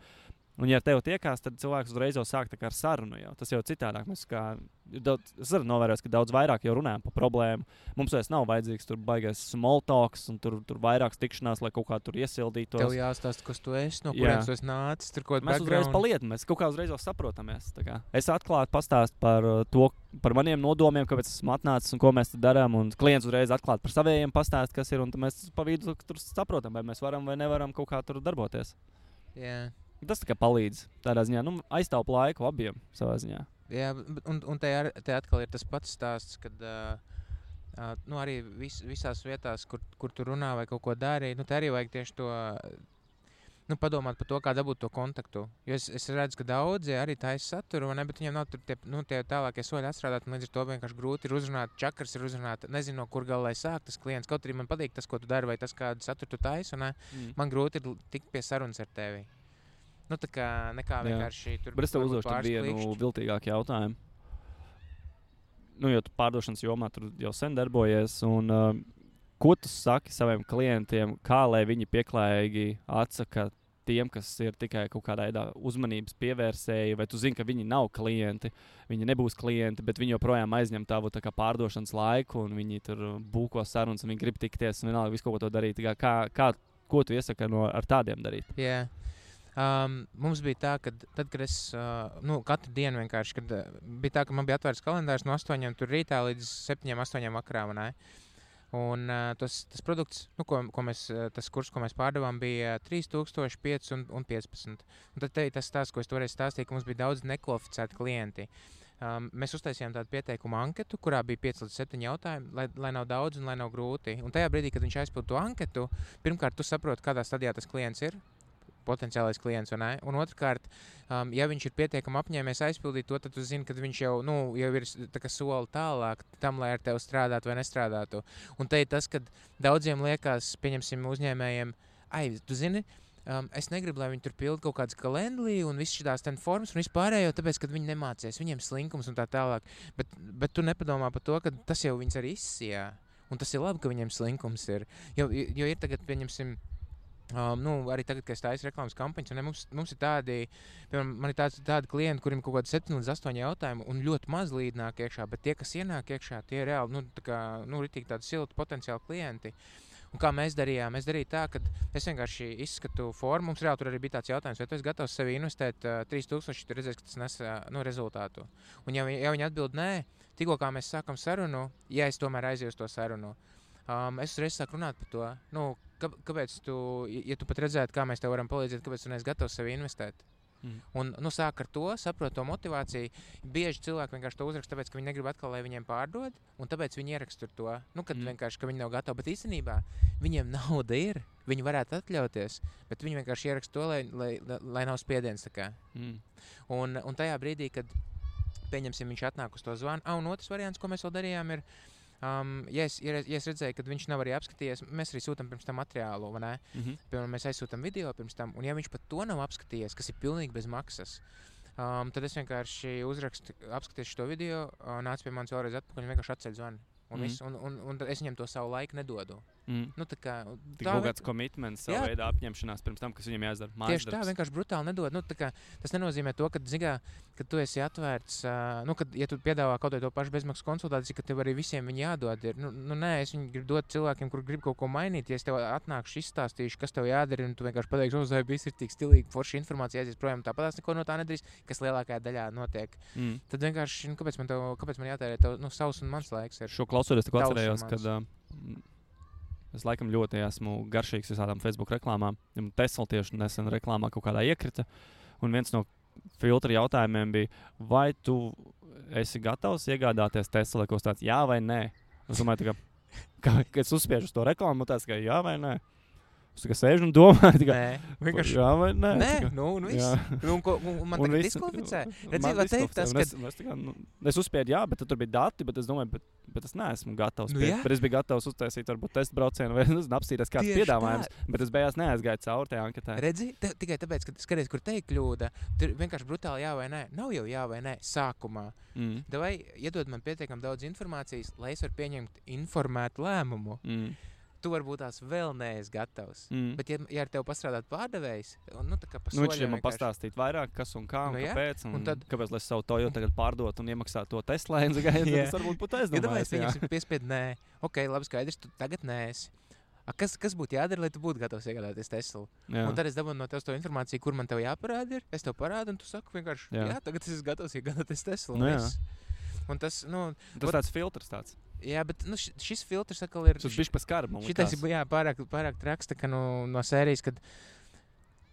Un, ja tev tiekās, tad cilvēks uzreiz jau sāk ar sarunu. Tas jau citādāk. Es arī novēroju, ka daudz vairāk jau runājam par problēmu. Mums vairs nav vajadzīgs tur baigais small talks un tur vairākas tikšanās, lai kaut kā tur iesildītos. Tev jāstāsta, kas tu esi, no kurienes tu esi nācis. Mēs uzreiz palietam, mēs kaut kā uzreiz jau saprotamies. Es atklāti pastāstu par maniem nodomiem, kāpēc esmu atnācis un ko mēs darām. Un klients uzreiz atklāti par savējiem pastāst, kas ir. Un mēs pa vidu tur saprotam, vai mēs varam vai nevaram kaut kā tur darboties. Yeah. Tas palīdz tādā ziņā, aiztaupa laiku abiem savā ziņā. Jā, un te atkal ir tas pats stāsts, kad arī visās vietās, kur tu runā vai kaut ko dari, te arī vajag tieši to, padomāt par to, kā dabūt to kontaktu. Jo es redzu, ka daudzi arī taisa saturu, bet viņiem nav tur tie tālākie soļi atstrādāt, un līdz ar to vienkārši grūti ir uzrunāt, čakars ir uzrunāt, nezinu, no kur galā lai sāk tas klients. Kaut arī man patīk tas, ko tu dari, vai tas, kādu saturu tu taisi, man grūti ir tikt pie sarunas ar tevi. Tā kā nekā vienkārši tur... Bet es tev uzdošu vienu viltīgāku jautājumu. Jo tu pārdošanas jomā tur jau sen darbojies, un ko tu saki saviem klientiem, kā lai viņi pieklājīgi atsaka tiem, kas ir tikai kaut kādā veidā uzmanības pievērsēji, vai tu zini, ka viņi nav klienti, viņi nebūs klienti, bet viņi joprojām aizņem tavu pārdošanas laiku, un viņi tur būko sarunas, un viņi grib tikties, un vienalga visu kaut ko to darīt. Ko tu iesaki ar tādiem darīt? Jā. Mums bija tā, ka tad, kad es katru dienu vienkārši, kad bija tā, ka man bija atvērts kalendārs no 8 tur rītā līdz 7, 8 vakarā. Un tas produkts, ko mēs, tas kurs, ko mēs pārdevām, bija 3000, 5 un 15. Un tad tas stāsts, ko es toreiz stāstīju, ka mums bija daudz nekvalificēti klienti. Mēs uztaisījām tādu pieteikumu anketu, kurā bija 5 līdz 7 jautājumi, lai nav daudz un lai nav grūti. Un tajā brīdī, kad viņš aizpild to anketu, pirmkārt, tu saproti, kādā stadijā tas klients ir, potenciālais klients, un otrkārt, ja viņš ir pietiekami apņēmies aizpildīt to, tad tu zini, ka viņš jau ir soli tālāk tam, lai ar tevi strādātu vai nestrādātu. Un te ir tas, kad daudziem liekas, pieņemsim uzņēmējiem, tu zini, es negribu, lai viņi tur pilda kaut kādas kalendlī un viss šitās ten formas un vispārējo, tāpēc, ka viņi nemācies, viņiem slinkums un tā tālāk. Bet tu nepadomā par to, ka tas jau viņus arī izsijā. Un tas ir labi, ka viņiem slinkums ir. Jo ir tagad, pieņemsim, arī tagad, kad es taisu reklāmas kampaņas, un mums ir tādi, piemēram, man ir tādi klienti, kuriem kaut kādi 7 līdz 8 jautājumi un ļoti maz līdz nāk iekšā, bet tie, kas ienāk iekšā, tie ir reāli, ritīgi tādi silti potenciāli klienti. Un kā mēs darījām? Es darīju tā, ka es vienkārši izskatu formu, mums reāli tur arī bija tāds jautājums, vai tu esi gatavs sevi investēt 3000, tu redzēsi, ka tas nes rezultātu. Un ja viņi atbild nē, tikko kā mēs sākam sarunu, ja es tomēr aizēju uz to sarunu, es uzreiz sāku runāt par to, kāpēc tu, ja tu pat redzētu, kā mēs tev varam palīdzēt, kāpēc tu neesi gatavs sevi investēt. Un sāk ar to, saprot to motivāciju. Bieži cilvēki vienkārši to uzraksta, tāpēc, ka viņi negrib atkal, lai viņiem pārdod, un tāpēc viņi ieraksta to, kad vienkārši, ka viņi nav gatavi. Bet īstenībā viņiem nauda ir, viņi varētu atļauties, bet viņi vienkārši ieraksta to, lai nav spiediens. Un tajā brīdī, kad pieņemsim, viņš atnāk uz to zvanu, un otrs variants, ko mēs vēl darījām, ir, ja es redzēju, ka viņš nav arī apskatījies, mēs arī sūtam pirms tam materiālu, vai ne? Piemēram, mēs aizsūtam video pirms tam, un ja viņš pat to nav apskatījies, kas ir pilnīgi bez maksas, tad es vienkārši uzrakstu, apskatīšu šo video, nāc pie manis vēlreiz atpakaļ un vienkārši atceļ zvanu. Un es viņam to savu laiku nedodu. Tik kaut kāds komitments, savu veidu apņemšanās pirms tam, kas viņam jāizdara. Tieši tā, vienkārši brutāli nedod. Tas nenozīmē to, ka tu esi atvērts, kad, ja tu piedāvā kaut to pašu bezmaksas konsultāciju, ka tev arī visiem viņi jādod ir. Nē, es viņu gribu dot cilvēkiem, kur grib kaut ko mainīt. Ja es tev atnākšu, izstāstīšu, kas tev jādara, un tu vienkārši pateiksi, uzvai viss ir tik stilīgi, forši informācija aizies projām, tāpatās neko no tā nedarīs, kas lielākajā daļā notiek. Tad vienkārši, kāpēc man jātērē tev, savs un mans laiks ir. Šo klausoties, tikko atcerējos, kad es laikam ļoti esmu garšīgs visādām Facebook reklāmām. Tesla tieši nesen reklāmā kaut kādā iekrita, un viens no filtra jautājumiem bija, vai tu esi gatavs iegādāties Tesla kaut tāds jā vai nē? Es domāju, ka es uzspiežu uz to reklāmu, tāds, ka jā vai nē. Es tikai sēžu un domāju, vienkārši jā vai nē. Nē, un viss. Un man tagad diskvalificē. Redziet, vai teikt tas, ka... Es uzspiedu jā, bet tur bija dati, bet es domāju, bet es neesmu gatavs. Bet es biju gatavs uztaisīt varbūt testu braucienu vai apstīties kāds piedāvājums, bet es beigās neaizgāju cauri tajā anketē. Redzi, tikai tāpēc, ka skaties, kur teikt kļūda, tur vienkārši brutāli jā vai nē. Nav jau jā vai nē sākumā. Vai iedod man pietiekam daudz informācijas, lai es varu pieņemt informētu lēmumu. Tu varbūt tās vēl neesi gatavs. Bet, ja ar tevi pastrādāt pārdevējs, viņš man pastāstīt vairāk, kas un kā, un kāpēc, un tad, kāpēc, lai es savu Toyota tagad pārdot un iemaksāt to Tesla, tad es varbūt būtu aizdomājies. Ja viņam piespied nē, ok, labi skaidrs, tu tagad neesi. Kas būtu jādara, lai tu būtu gatavs iegādāties Teslu? Un tad es dabūnu no tev to informāciju, kur man tev jāparāda ir. Es tev parādu, un tu saki vienkārši, jā tagad es esmu gatavs iegādāties Teslu. Un tas tāds filtrs tāds. Jā, bet šis filtrs atkal ir... Tas bišķi pa skarbu, man likās. Šitais ir pārāk traks, ka no sērijas, kad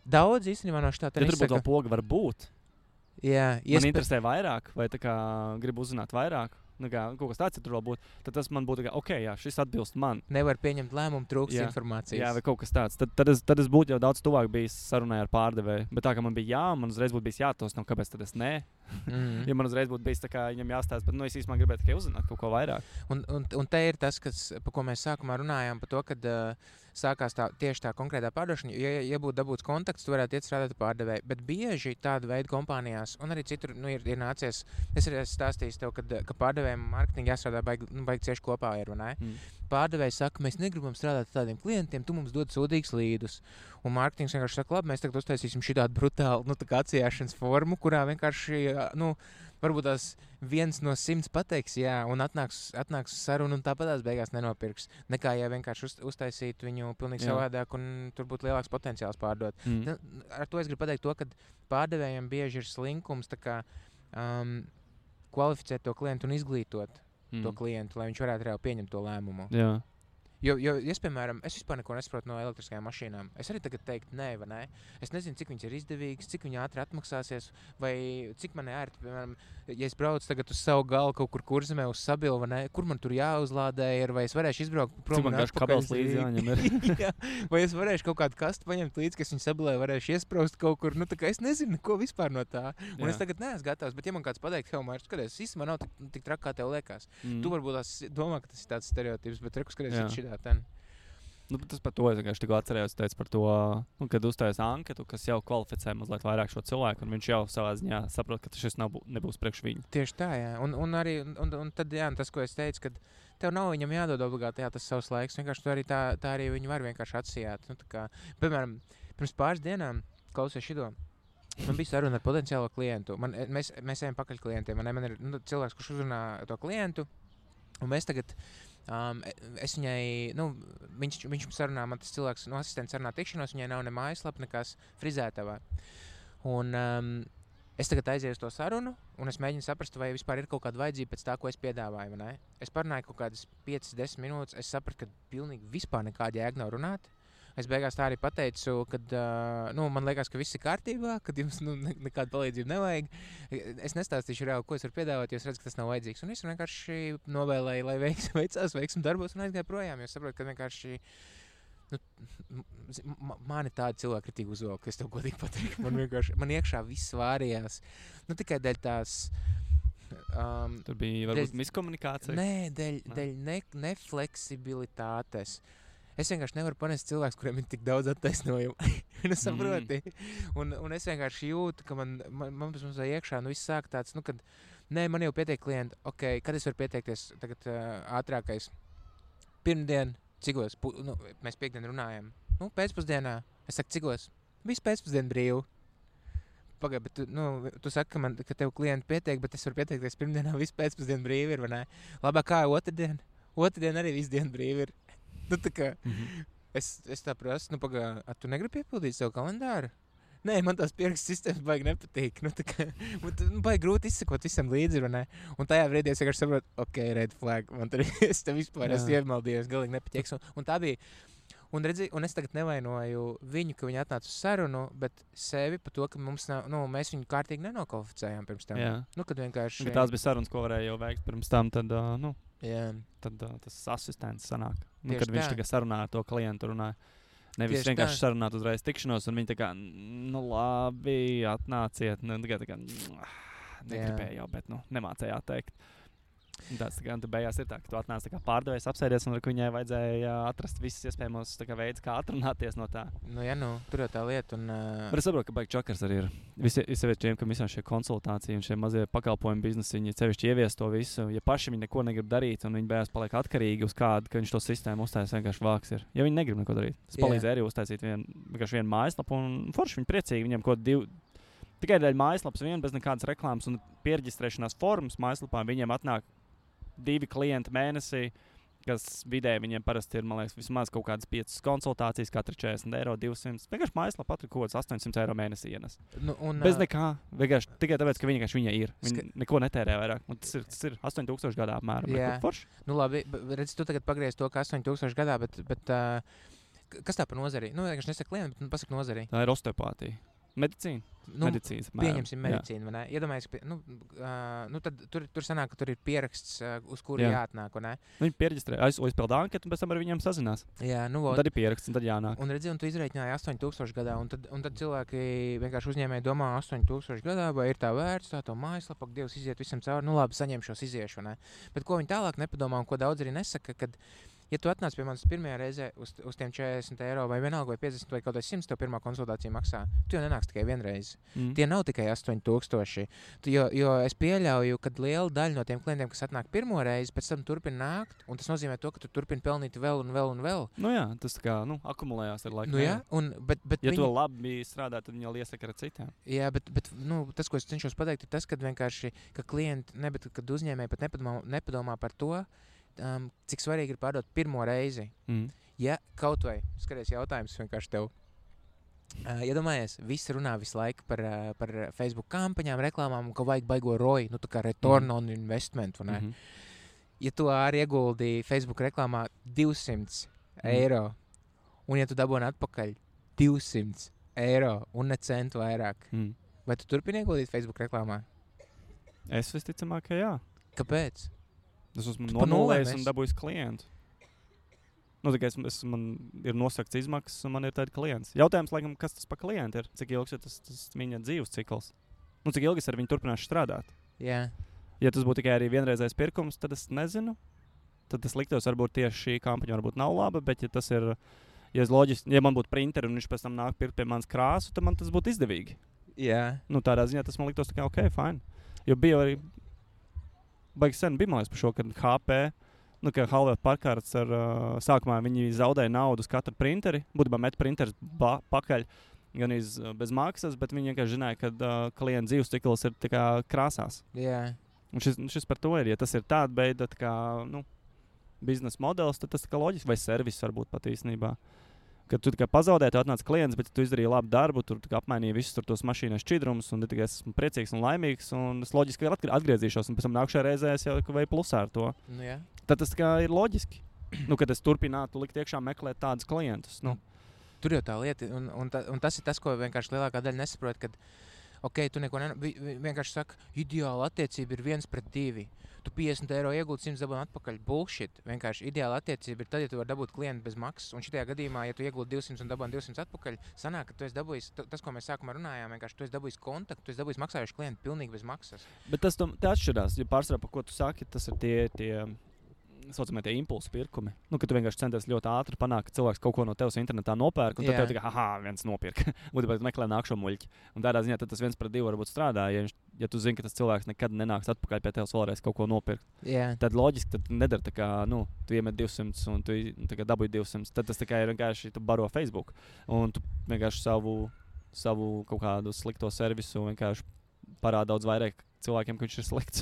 daudz īstenībā no šitā... Ja tur būtu vēl poga var būt. Jā. Man interesē vairāk, vai gribu uzzināt vairāk. Kaut kas tāds, ja tur vēl būtu, tad tas man būtu, ok, jā, šis atbilst man. Nevar pieņemt lēmumu, trūkst informācijas. Jā, vai kaut kas tāds. Tad es būtu jau daudz tuvāk bijis sarunai ar pārdevēju. Bet tā, ka man bija jā, man uzreiz būtu bijis jātos, kāpēc tad es nē. Ja man uzreiz būtu bijis tā kā viņam jāstāsta, bet es īstenībā gribētu tikai uzzināt kaut ko vairāk. Un te ir tas, par ko mēs sākumā runājām, par to, kad sākās tieši tā konkrētā pārdošana. Ja būtu dabūts kontakts, tu varētu iet strādāt pārdevēju. Bet bieži tāda veida kompānijās, un arī citur ir nācies, es arī esmu stāstījis tev, ka pārdevējiem mārketingi jāstrādā baigi cieši kopā ir, vai ne? Pārdevēji saka, mēs negribam strādāt ar tādiem klientiem, tu mums dod sūdīgus līdus. Un mārketings vienkārši saka, labi, mēs tagad uztaisīsim šitādu brutālu atsijāšanas formu, kurā vienkārši, varbūt tās 1 no 100 pateiks, jā, un atnāks sarunu un tāpatās beigās nenopirks. Nekā, ja vienkārši uztaisītu viņu pilnīgi savādāk un tur būtu lielāks potenciāls pārdot. Ar to es gribu pateikt to, ka pārdevējiem bieži ir slinkums kvalificēt to klientu un izglītot to klientu, lai viņš varētu reāli pieņemt to lēmumu. Jā. Jo es, piemēram, vispār neko nesaprotu no elektriskajām mašīnām. Es arī tagad teiktu nē, vai nē. Es nezinu, cik viņas ir izdevīgas, cik viņi ātri atmaksāsies, vai cik man ērti, piemēram, ja es braucu tagad uz savu galu kaut kur Kurzemē uz Sabilu, vai nē, kur man tur jāuzlādē ir, vai es varēšu izbraukt prom un atpakaļ. Līdzi jāņem ir. Jā, vai es varēšu kaut kādu kastu paņemt līdzi, kas viņu Sabilē varēšu iespraust kaut kur. Tā kā es nezinu, ko vispār no tā. Un es tagad neesmu gatavs, bet ja man kāds pateikt, Helmārs, skaties, īstenībā nav tik traki, kā tev liekas. Tu varbūt domā, ka tas ir tāds stereotips, bet reku skaties šitā ten. Nu, tas par to es vienkārši tikko atcerējos, teicu par to, kad uzstājas anketu, kas jau kvalificē mazliet vairāk šo cilvēku, un viņš jau savā ziņā saprot, ka šis nebūs priekš viņu. Tieši tā, jā. Un arī tad, jā, tas, ko es teicu, kad tev nav viņam jādod obligāti tas savs laiks, vienkārši tu arī tā arī viņu var vienkārši atsijāt. Nu, tā kā, piemēram, pirms pāris dienām klausies šito. Man bija saruna ar potenciālo klientu. Mēs ejam pakaļ klientiem. Man ir cilvēks, kurš uzrunā to klientu, un mēs tagad... es viņai, viņš sarunā, man tas cilvēks, asistents sarunā tikšanos, viņai nav ne mājaslapa, nekas frizētavā. Un es tagad aizēju uz to sarunu, un es mēģinu saprast, vai vispār ir kaut kāda vajadzība pēc tā, ko es piedāvāju, vai ne? Es parunāju kaut kādas 5-10 minūtes, es sapratu, ka pilnīgi vispār nekāda jēga nav runāt. Es beigās tā arī pateicu, ka man liekas, ka viss ir kārtībā, ka jums nekāda palīdzība nevajag. Es nestāstīšu reāli, ko es varu piedāvāt, jo es redzu, ka tas nav vajadzīgs. Un es vienkārši novēlēju, lai veicās veiksmi darbos un aizgāju projām, jo saprotu, ka vienkārši man ir tāda cilvēka kritika uzvalka, ka es tev godīgi pateiktu. Man iekšā viss vārījās. Tikai dēļ tās... Tur bija varbūt miskomunikācija? Nē, dēļ nefleksibilitātes. Es vienkārši nevaru panest cilvēkus, kuriem ir tik daudz attaisnojumu. Saproti? Un es vienkārši jūtu, ka man iekšā viss sāk tāds, kad man jau pietiek klienti, ok, kad es varu pieteikties tagad ātrākais? Pirmdien, cigos? Mēs piekdien runājam. Pēcpusdienā. Es saku, cigos? Visu pēcpusdienu brīvu. Pagaid, bet tu saki, ka tev klienti pietiek, bet es varu pieteikties pirmdienā visu pēcpusdienu brīvi ir, vai ne? Labāk kā otrdien? Otrdien arī visu dienu brīvi ir. Tā kā es tā prasu, pagaid, tu negribi piepildīt savu kalendāru? Nē, man tās pierakstu sistēmas baigi nepatīk. Baigi grūti izsakot visam līdzi, vai ne? Un tajā brīdī es vienkārši saprotu, ok, red flag, man tur es te vispār esmu iemaldījies, galīgi nepatīks. Un tā bija, un es tagad nevainoju viņu, ka viņi atnāca uz sarunu, bet sevi par to, ka mums nav, mēs viņu kārtīgi nenokvalificējām pirms tam. Jā. Kad vienkārši... Tās bija sarunas, ko varēja jau veikt pirms tam, tad, Jā. Tad tas asistents sanāk. Tieši Kad viņš tā. tagad sarunā ar to klientu runāja. Nevis Tieši vienkārši tā. sarunāt uzreiz tikšanos, un viņi tā kā, labi, atnāciet. Negribēju jau, bet, nemācēja atteikt. Tas tā beigās ir tā, ka tu atnāc tā kā pārdevējs, apsēdies, un viņai vajadzēja atrast visus iespējamos veidus, kā atrunāties no tā. Tur jau tā lieta. Bet es saprotu, ka baigi čakars arī ir. Visiem, kam visām šie konsultāciji un šie mazie pakalpojumu biznesi, viņi sevišķi ievies to visu. Ja paši viņi neko negrib darīt, un viņi beigās paliek atkarīgi uz kādu, ka viņš to sistēmu uztaisīs, vienkārši vāks ir. Ja viņi negrib neko darīt. Tas palīdzēja arī uztaisīt vienkārši vienu mājaslapu, un forši viņi priecīgi, viņiem kaut tikai dēļ mājaslapas vien, bez nekādas reklāmas un pierģistrēšanās formas mājaslapā viņiem atnāk 2 klienti mēnesī, kas vidēji viņiem parasti ir, man liekas, vismaz kaut kādas 5 konsultācijas, katra 40 eiro, 200. Vienkārši mājaslapā patra kaut kāds 800 eiro mēnesī ienes. Bez nekā. Vienkārši tikai tāpēc, ka viņa ir. Viņi neko netērē vairāk. Un tas ir 8000 gadā apmēram. Jā. Forši. Labi, redz, tu tagad pagriez to, ka 8000 gadā, bet kas tā par nozari? Vienkārši nesaka klienti, bet pasaka nozari. Tā ir osteopātija. Medicīna. Medicīnas, pieņemsim medicīnu, vai ne? Iedomājies, tad tur sanāk, ka tur ir pieraksts, uz kuru jāatnāk, vai ne? Viņi pierģistrē, aizpilda anketu, un pēc tam ar viņiem sazinās. Jā, tad ir pieraksts, un tad jānāk. Un redzi, un tu izreikināji 8000 gadā, un tad cilvēki vienkārši uzņēmēji domā 8000 gadā, vai ir tā vērts, tā to mājaslapu, Dievs iziet visam cauri, labi, saņemšos, iziešu, vai ne? Bet ko viņi tālāk nepadomā, un ko daudz arī nesaka, kad ja tu atnāc pie manis pirmajā reizē uz tiem 40 eiro vai vienalga vai 50 vai kaut kāds 100 tev pirmā konsultācija maksā, tu jau nenāks tikai vienreiz. Tie nav tikai 8000. Jo es pieļauju, ka liela daļa no tiem klientiem, kas atnāk pirmo reizi, pēc tam turpina nākt, un tas nozīmē to, ka tu turpini pelnīt vēl un vēl un vēl. Tas kā, akumulējās ar laiku. Bet ja tu labi strādā, tad viņi jau iesaka ar citiem. Jā, bet tas, ko es cenšos pateikt, ir tas, kad vienkārši, ka klienti, kad uzņēmēji pat nepadomā par to, cik svarīgi ir pārdot pirmo reizi. Ja kaut vai, skaties jautājums vienkārši tev. Iedomājies, visi runā visu laiku par Facebook kampaņām, reklāmām, ka vajag baigo ROI, tā kā return on investment, vai ne? Ja tu arī ieguldīji Facebook reklāmā 200 eiro, un ja tu dabūni atpakaļ 200 eiro un ne centu vairāk, vai tu turpini ieguldīt Facebook reklāmā? Es visticamāk, ka jā. Kāpēc? Es esmu nonulējis un dabūjis klientu. Tikai man ir nosakts izmaksas, un man ir tādi klients. Jautājums, laikam, kas tas par klientu ir? Cik ilgs ir tas viņa dzīves cikls? Cik ilgi es ar viņu turpināšu strādāt? Jā. Ja tas būtu tikai arī vienreizējs pirkums, tad es nezinu. tad tas liktos varbūt tieši šī kampaņa varbūt nav laba, bet ja tas ir, ja man būtu printeri un viņš pēc tam nāk pirkt pie manas krāsu, tad man tas būtu izdevīgi. Jā. Nu, tādā ziņā tas man liktos tā kā ok, fine. Jo bija arī, baigi sen bija malēs par šo, kad HP, ka Hewlett Packard ar sākumā viņi zaudēja naudu uz katru printeri, būtībā met printeris pakaļ, gan bez maksas, bet viņi vienkārši zināja, ka klienta dzīves cikls ir tā kā krāsās. Jā. Un šis par to ir, ja tas ir tāda beida, tā kā, biznesa modelis, tad tas tā kā loģiski, vai servis varbūt pat īstenībā. Kad tu tikai pazaudēji, tu atnāc klients, bet tu izdarīji labu darbu, tur apmainīji visus tos mašīnas šķidrumus, un tikai esmu priecīgs un laimīgs, un es loģiski atgriezīšos, un pēc tam nākšajā reizē es jau vai plusā ar to. Nu, jā. Tad tas kā ir loģiski. Kad es turpinātu likt iekšā meklēt tādus klientus. Tur jau tā lieta, un tas ir tas, ko vienkārši lielākā daļa nesaprot, kad ok, tu neko vienkārši saka, ideāla attiecība ir 1:2. Tu 50 eiro iegūti 100 dabūni atpakaļ. Bullshit. Vienkārši ideāla attiecība ir tad, ja tu vari dabūt klientu bez maksas. Un šitajā gadījumā, ja tu iegūti 200 un dabūni 200 atpakaļ, sanāk, ka tu esi dabūjis, tas, ko mēs sākumā runājām, vienkārši tu esi dabūjis kontaktu, tu esi dabūjis maksājuši klientu pilnīgi bez maksas. Bet tas atšķirās, jo pārsvarā, par ko tu saki, tas ir tie saucamie tie impulsu pirkumi. Ka tu vienkārši centies ļoti ātri panākt, ka cilvēks kaut ko no tevis internetā nopērk, un tad tev tikai, viens nopirka. Būtībā tu meklē nākšo muļķi. Un tādā ziņā tad tas 1:2 varbūt strādā, ja tu zini, ka tas cilvēks nekad nenāks atpakaļ pie tevis vēlreiz kaut ko nopirkt. Tad loģiski, tad nedara tā kā, tu iemet 200 un tu dabūji 200. Tad tas tā kā ir vienkārši, tu baro Facebook. Un tu vienkārši savu kaut kādu slikto servisu vienkārši parāda daudz vairāk cilvēkiem, ka viņš ir slikts.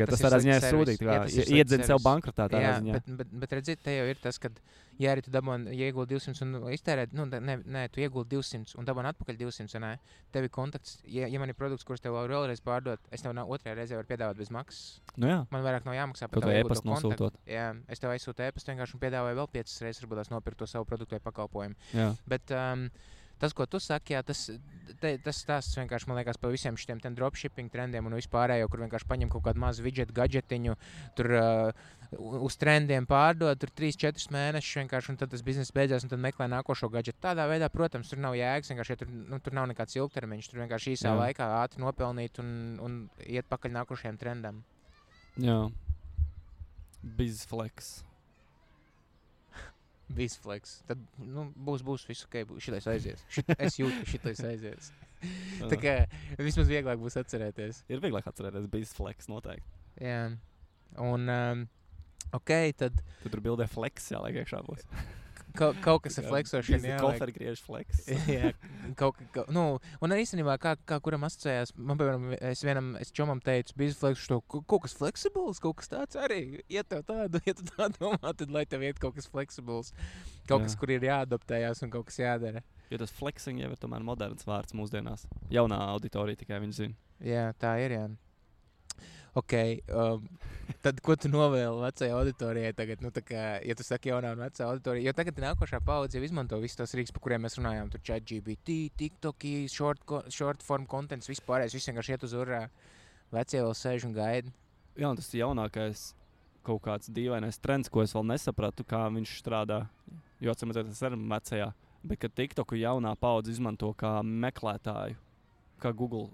Tas tādā ziņā ir sūdīgi. Iedzina sev bankrotā tādā ziņā. Bet redziet, te jau ir tas, ka, ja arī tu dabūni, ja iegūti 200 un iztērēt, tu iegūti 200 un dabūni atpakaļ 200, tev ir kontakts. Ja man ir produkts, kurus tev vēlreiz pārdot, es tev otrajā reizē varu piedāvāt bez maksas. Man vairāk nav jāmaksā par tavu iegūto kontaktu. Jā, es tev aizsūtu e-pastu vienkārši un piedāvāju vēl 5 reizes, varbūt tās nopirkt to savu produktu vai pakalpojumu. Bet tas, ko tu saki, tas stāsts vienkārši, man liekas, par visiem šiem dropshipping trendiem un vispārējo, kur vienkārši paņem kaut kādu mazu widget gadžetiņu, tur uz trendiem pārdod, tur 3-4 mēnešus vienkārši, un tad tas bizness beidzās, un tad meklē nākošo gadžetu. Tādā veidā, protams, tur nav jēgas, vienkārši, ja tur nav nekāds ilgtermiņš, tur vienkārši īsā laikā ātri nopelnīt un iet pakaļ nākošajiem trendam. Jā. Bizflex. Bizflex. Tad būs visu, ok, šitais aizies. Es jūtu, ka šitais aizies. Tā kā vismaz vieglāk būs atcerēties. Ir vieglāk atcerēties Bizflex noteikti. Jā. Un, ok, tad... Tu tur bildē flex, jāliek iekšā būs. Kaut kas ir flexošana, jā. Kofergriež flex. Jā, un arī īstenībā, kā kuram asociējās, man, piemēram, es čomam teicu, Bizflex, kaut kas flexibles, kaut kas tāds arī, ja tu tā domā, tad lai tev iet kaut kas flexibles, kaut kas, kur ir jāadaptējās un kaut kas jādara. Jo tas flexing jau ir tomēr moderns vārds mūsdienās. Jaunā auditorija tikai viņi zina. Jā, tā ir, jā. Ok, tad ko tu novēli vecajai auditorijai tagad? Tā kā, ja tu saki jaunā un vecā auditorija, jo tagad nākošā paudze jau izmanto visus tos rīks, par kuriem mēs runājām, tur ChatGPT, TikToki, short form contents, vispārējais, viss vienkārši iet uz urā. Vecie vēl sēž un gaida. Jā, un tas ir jaunākais kaut kāds dīvainais trends, ko es vēl nesapratu, kā viņš strādā, jo atsimēties tas ir vecajā, bet kad TikToku jaunā paudze izmanto kā meklētāju, kā Google.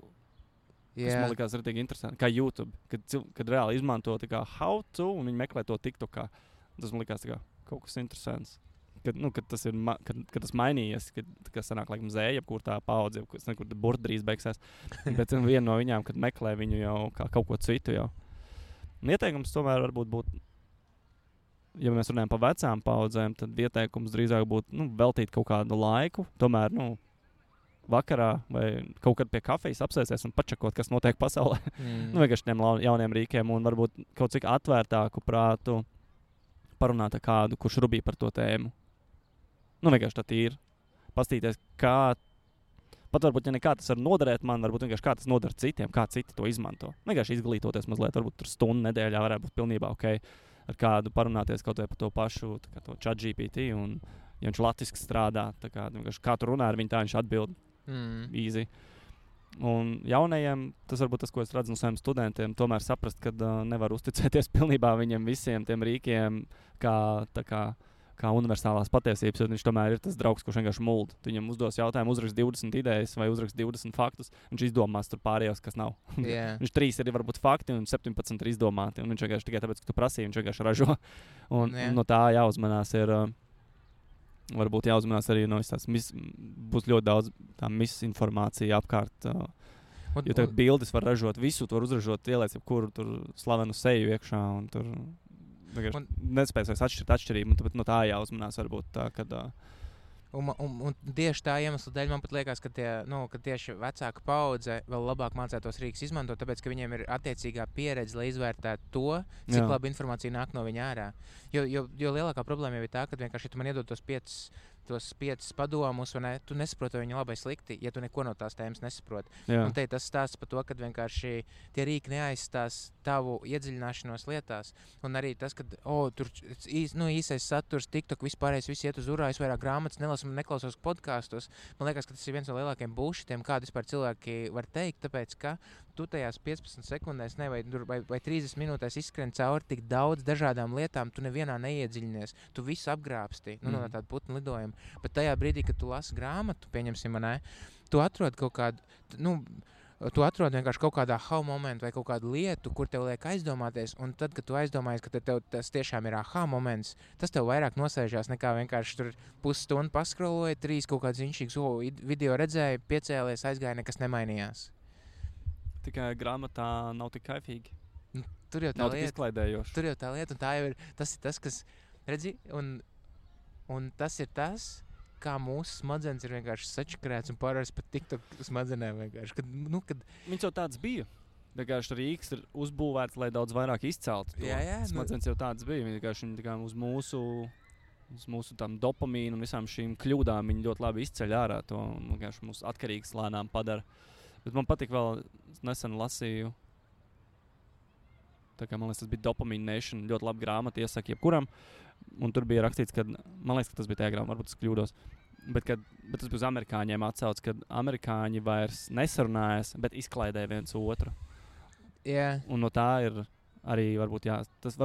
Tas man likās arī interesanti, kā YouTube, kad reāli izmanto tā kā how to, un viņi meklē to TikTokā. Tas man likās tā kā kaut kas interesants. Kad tas mainījies, kad sanāk laikam zēja, kur tā paudze, kur burta drīz beigsies. Bet viena no viņām, kad meklē viņu jau kā kaut ko citu jau. Un ieteikums tomēr varbūt būtu, ja mēs runājam par vecām paudzēm, tad ieteikums drīzāk būtu veltīt kaut kādu laiku, tomēr, vakarā vai kaut kad pie kafijas apsēsties un pačakot, kas notiek pasaulē. Vienkārši tiem jauniem rīkiem un varbūt kaut cik atvērtāku prātu parunāt ar kādu, kurš rubīja par to tēmu. Vienkārši tā ir. Pastīties, kā, pat varbūt, ja nekā tas var noderēt man, varbūt vienkārši kā tas nodara citiem, kā citi to izmanto. Vienkārši izglītoties mazliet, varbūt tur stundu nedēļā varētu būt pilnībā ok ar kādu parunāties kaut vai par to pašu, tā kā to ChatGPT, un ja viņš latviski strādā, tā kā vienkārši kā tu runā ar viņu, tā viņš atbild. Easy. Un jaunajiem, tas varbūt tas, ko es redzu no saviem studentiem, tomēr saprast, ka nevar uzticēties pilnībā viņiem visiem tiem rīkiem, kā kā universālās patiesības, jo viņš tomēr ir tas draugs, kurš vienkārši mulda. Tu viņam uzdos jautājumu, uzrakst 20 idejas vai uzrakst 20 faktus, viņš izdomās tur pārējos, kas nav. Yeah. Viņš 3 ir varbūt fakti un 17 ir izdomāti, un viņš vienkārši tikai tāpēc, ka tu prasīji, viņš vienkārši ražo. Un no tā jāuzmanās ir, varbūt jāuzmanās arī no tās būs ļoti daudz tā misinformācija apkārt. Jo tagad bildes var ražot visu, tu var uzražot, ieliec jebkuru tur slavenu seju iekšā, un tur nespēs vairs atšķirt atšķirību, bet no tā jāuzmanās varbūt tā, kad... Un tieši tā iemesla dēļ man pat liekas, ka tieši vecāka paudze vēl labāk mācētos rīks izmantot, tāpēc, ka viņiem ir attiecīgā pieredze, lai izvērtētu to, cik labi informācija nāk no viņa ārā. Jo lielākā problēma jau ir tā, ka vienkārši tu man iedod tos 5 padomus, un tu nesaproti, vai viņi labi vai slikti, ja tu neko no tās tēmas nesaproti. Un te tas stāsts par to, ka vienkārši tie rīki neaizstās tavu iedziļināšanos lietās. Un arī tas, ka tur īsais saturs, TikTok, vispārējais, viss iet uz urā, es vairāk grāmatas nelasu un neklausos podkastos. Man liekas, ka tas ir viens no lielākajiem bullshitiem, kādu vispār cilvēki var teikt, tāpēc, ka tu tajās 15 sekundēs vai 30 minūtēs izskrien cauri tik daudz dažādām lietām, tu nevienā neiedziļinies, tu visu apgrābsti, no tāda putnu lidojuma. Bet tajā brīdī, kad tu lasi grāmatu, pieņemsim, tu atrod kaut kādu, tu atrod vienkārši kaut kādā aha momentu vai kaut kādu lietu, kur tev liek aizdomāties, un tad, kad tu aizdomājies, ka tev tas tiešām ir aha moments, tas tev vairāk nosēžās nekā vienkārši tur pusstundu paskroloja, 3 kaut kāds ziņšīgs, video redzēja, piecēlies, aizgāja, nekas nemainījās. Tikai grāmatā nav tik kaifīgi. Tur jau tā nav lieta. Tik izklaidējoši. Tur jau tā lieta, un tā jau ir, tas ir tas, kas, redzi, un tas ir tas, kā mūsu smadzenes ir vienkārši sačakarēts un pārvērsts pat TikTok smadzenēm vienkārši. Kad... Viņš jau tāds bija. Vienkārši rīks ir uzbūvēts, lai daudz vairāk izceltu to. Jā, smadzenes jau tāds bija. Vienkārši viņi uz mūsu tam dopamīnu un visām šīm kļūdām viņi ļoti labi izceļ ārā to un vienkārši mūs atkarīgs lēnām padara. Bet man patīk vēl, nesen lasīju, tā kā man liekas, tas bija Dopamine Nation, ļoti laba grāmata, iesaku jebkuram, un tur bija rakstīts, ka, man liekas, ka tas bija tajā grāmatā, varbūt es kļūdos, bet tas bija uz amerikāņiem atsauc, kad amerikāņi vairs nesarunājas, bet izklaidē viens otru. Yeah. Un no tā ir arī, varbūt tas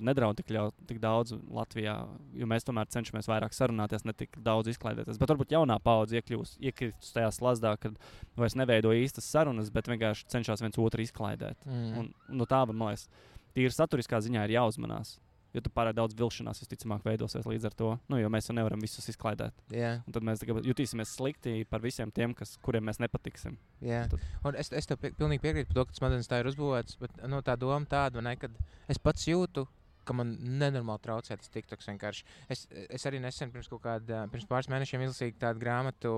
nedraud tik daudz Latvijā, jo mēs tomēr cenšamies vairāk sarunāties, ne tik daudz izklaidēties. Bet varbūt jaunā paudze iekrist tajā slazdā, kad vairs neveido īstas sarunas, bet vienkārši cenšas viens otru izklaidēt. Un no tā, man liekas, tīri saturiskā ziņā ir jāuzmanās. Jo tu pārāk daudz vilšanās visticamāk veidosies līdz ar to, jo mēs jau nevaram visus izklaidēt. Yeah. Un tad mēs jutīsimies slikti par visiem tiem, kuriem mēs nepatiksim. Yeah. Un es tev pilnīgi piekrītu par to, ka smadzenes tā ir uzbūvēts, bet tā doma tāda, kad es pats jūtu, ka man nenormāli traucē tas TikToks vienkārši. Es arī nesen pirms pāris mēnešiem izlasīju tādu grāmatu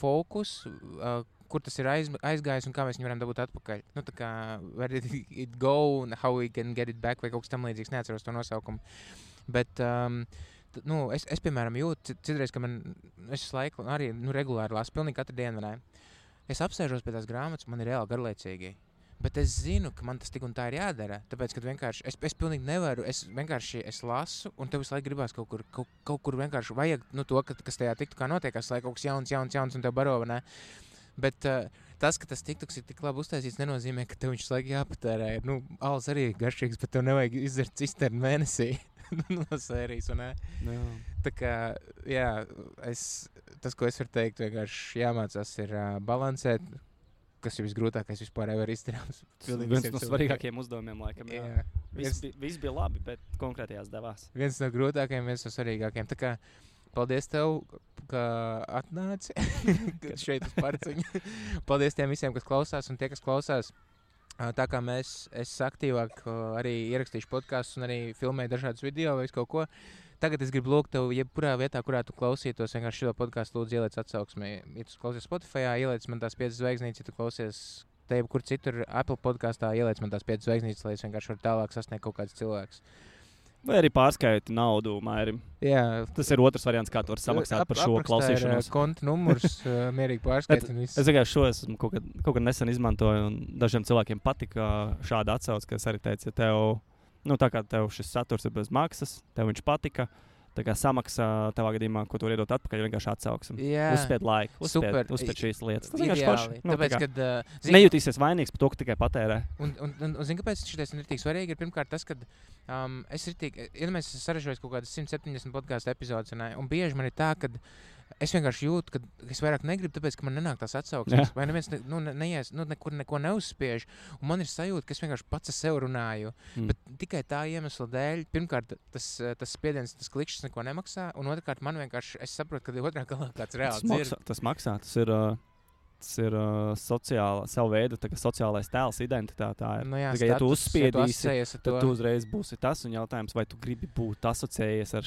Focus, kur tas ir aizgājis un kā mēs viņu varam dabūt atpakaļ. Tā kā where did it go and how we can get it back vai kaut kas tam līdzīgs, neatceros to nosaukumu. Bet es piemēram jūtu citreiz, ka es laiku arī regulāri lasu, pilnīgi katru dienu, es apsēžos pie tās grāmatas, man ir reāli garlaicīgi. Bet es zinu, ka man tas tik un tā ir jādara, tāpēc, ka vienkārši es pilnīgi nevaru, es lasu, un tev visu laiku gribās kaut kur vienkārši vajag, to, kas tajā TikTokā notiekās, lai kaut kas jauns un tev baro, vai ne? Bet tas, ka tas TikToks ir tik labi uztaisīts, nenozīmē, ka tev viņš laiku jāpatērē. Alus arī ir garšīgs, bet tev nevajag izdzert cisternu mēnesī no sērijas, un ne? Tā kā, jā, tas, ko es varu teikt, vienkārši jāmācās ir balansēt, kas ir visgrūtākais vispār var izdarāms. Viens no svarīgākajiem uzdevumiem, laikam, jā. Viss bija labi, bet konkrētajās devās. Viens no grūtākajiem, viens no svarīgākajiem. Tā kā paldies tev, ka atnāci šeit uz Parciņu. Paldies tiem visiem, kas klausās, un tie, kas klausās. Tā kā es aktīvāk arī ierakstīšu podkastus un arī filmēju dažādus video vai kaut ko. Tagad es gribu lūgt tev, jebkurā vietā, kurā tu klausītos, vienkārši šo podcastu lūdzu ieliec atsauksmē. Ja tu klausies Spotify, ieliec man tās 5 zvaigznītes, ja tu klausies te jebkur citur Apple podkastā, ieliec man tās 5 zvaigznītes, lai es vienkārši varu tālāk sasniegt kaut kāds cilvēks. Vai arī pārskaiti naudu Mairim. Jā. Tas ir otrs variants, kā tu vari samaksāt par šo klausīšanos. Konta numurs, mierīgi pārskaiti un viss. Es vienkārši šo esmu kaut kad nesen izmantoju, un dažiem cilvēkiem patika šāda atsauce, ka es arī teicu, ja tev, tā kā tev šis saturs ir bez maksas, tev viņš patika, Tā kā samaksā tavā gadījumā, ko tu vari iedot atpakaļ, vienkārši atsauksim. Jā. Uzspied laiku, Super. uzspied šīs lietas. Tas vienkārši Ideāli. forši. Nu, Tāpēc, tā kā kad nejutīsies vainīgs par to, ka tikai patērē. Un zini, kāpēc šitais ir tik svarīgi? Ir pirmkārt tas, ka es iedomājos, esmu saražojis kaut kādas 170 podkāstu epizodes, un bieži man ir tā, ka es vienkārši jūtu, ka es vairāk negribu, tāpēc, ka man nenāk tās atsauksmes. Vai neviens neies, nekur neko neuzspiež. Un man ir sajūta, ka es vienkārši pats ar sevi runāju. Bet tikai tā iemesla dēļ, pirmkārt, tas spiediens, tas klikšķis neko nemaksā. Un otrkārt, man vienkārši, es saprotu, ka otrā galā kāds reāls dzird. Tas maksā, tas ir savu veidu sociālais tēls, identitāte. Tā ir. Jā, ja tu uzspiedīsi, tad tu uzreiz būsi tas. Un jautājums, vai tu gribi būt asociējies ar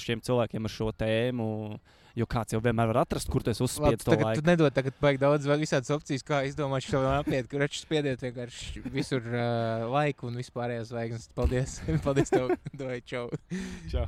šiem cilvēkiem, ar šo tēmu. Jo kāds jau vienmēr var atrast, kur tu esi uzspiedis to laiku. Tu nedod tagad baigi daudz visādas opcijas, kā izdomāt šo apiet, kur raču spiediet vienkārši visur laiku un vispārējās zvaigznes. Paldies. Paldies tev. Doj, čau. Čau.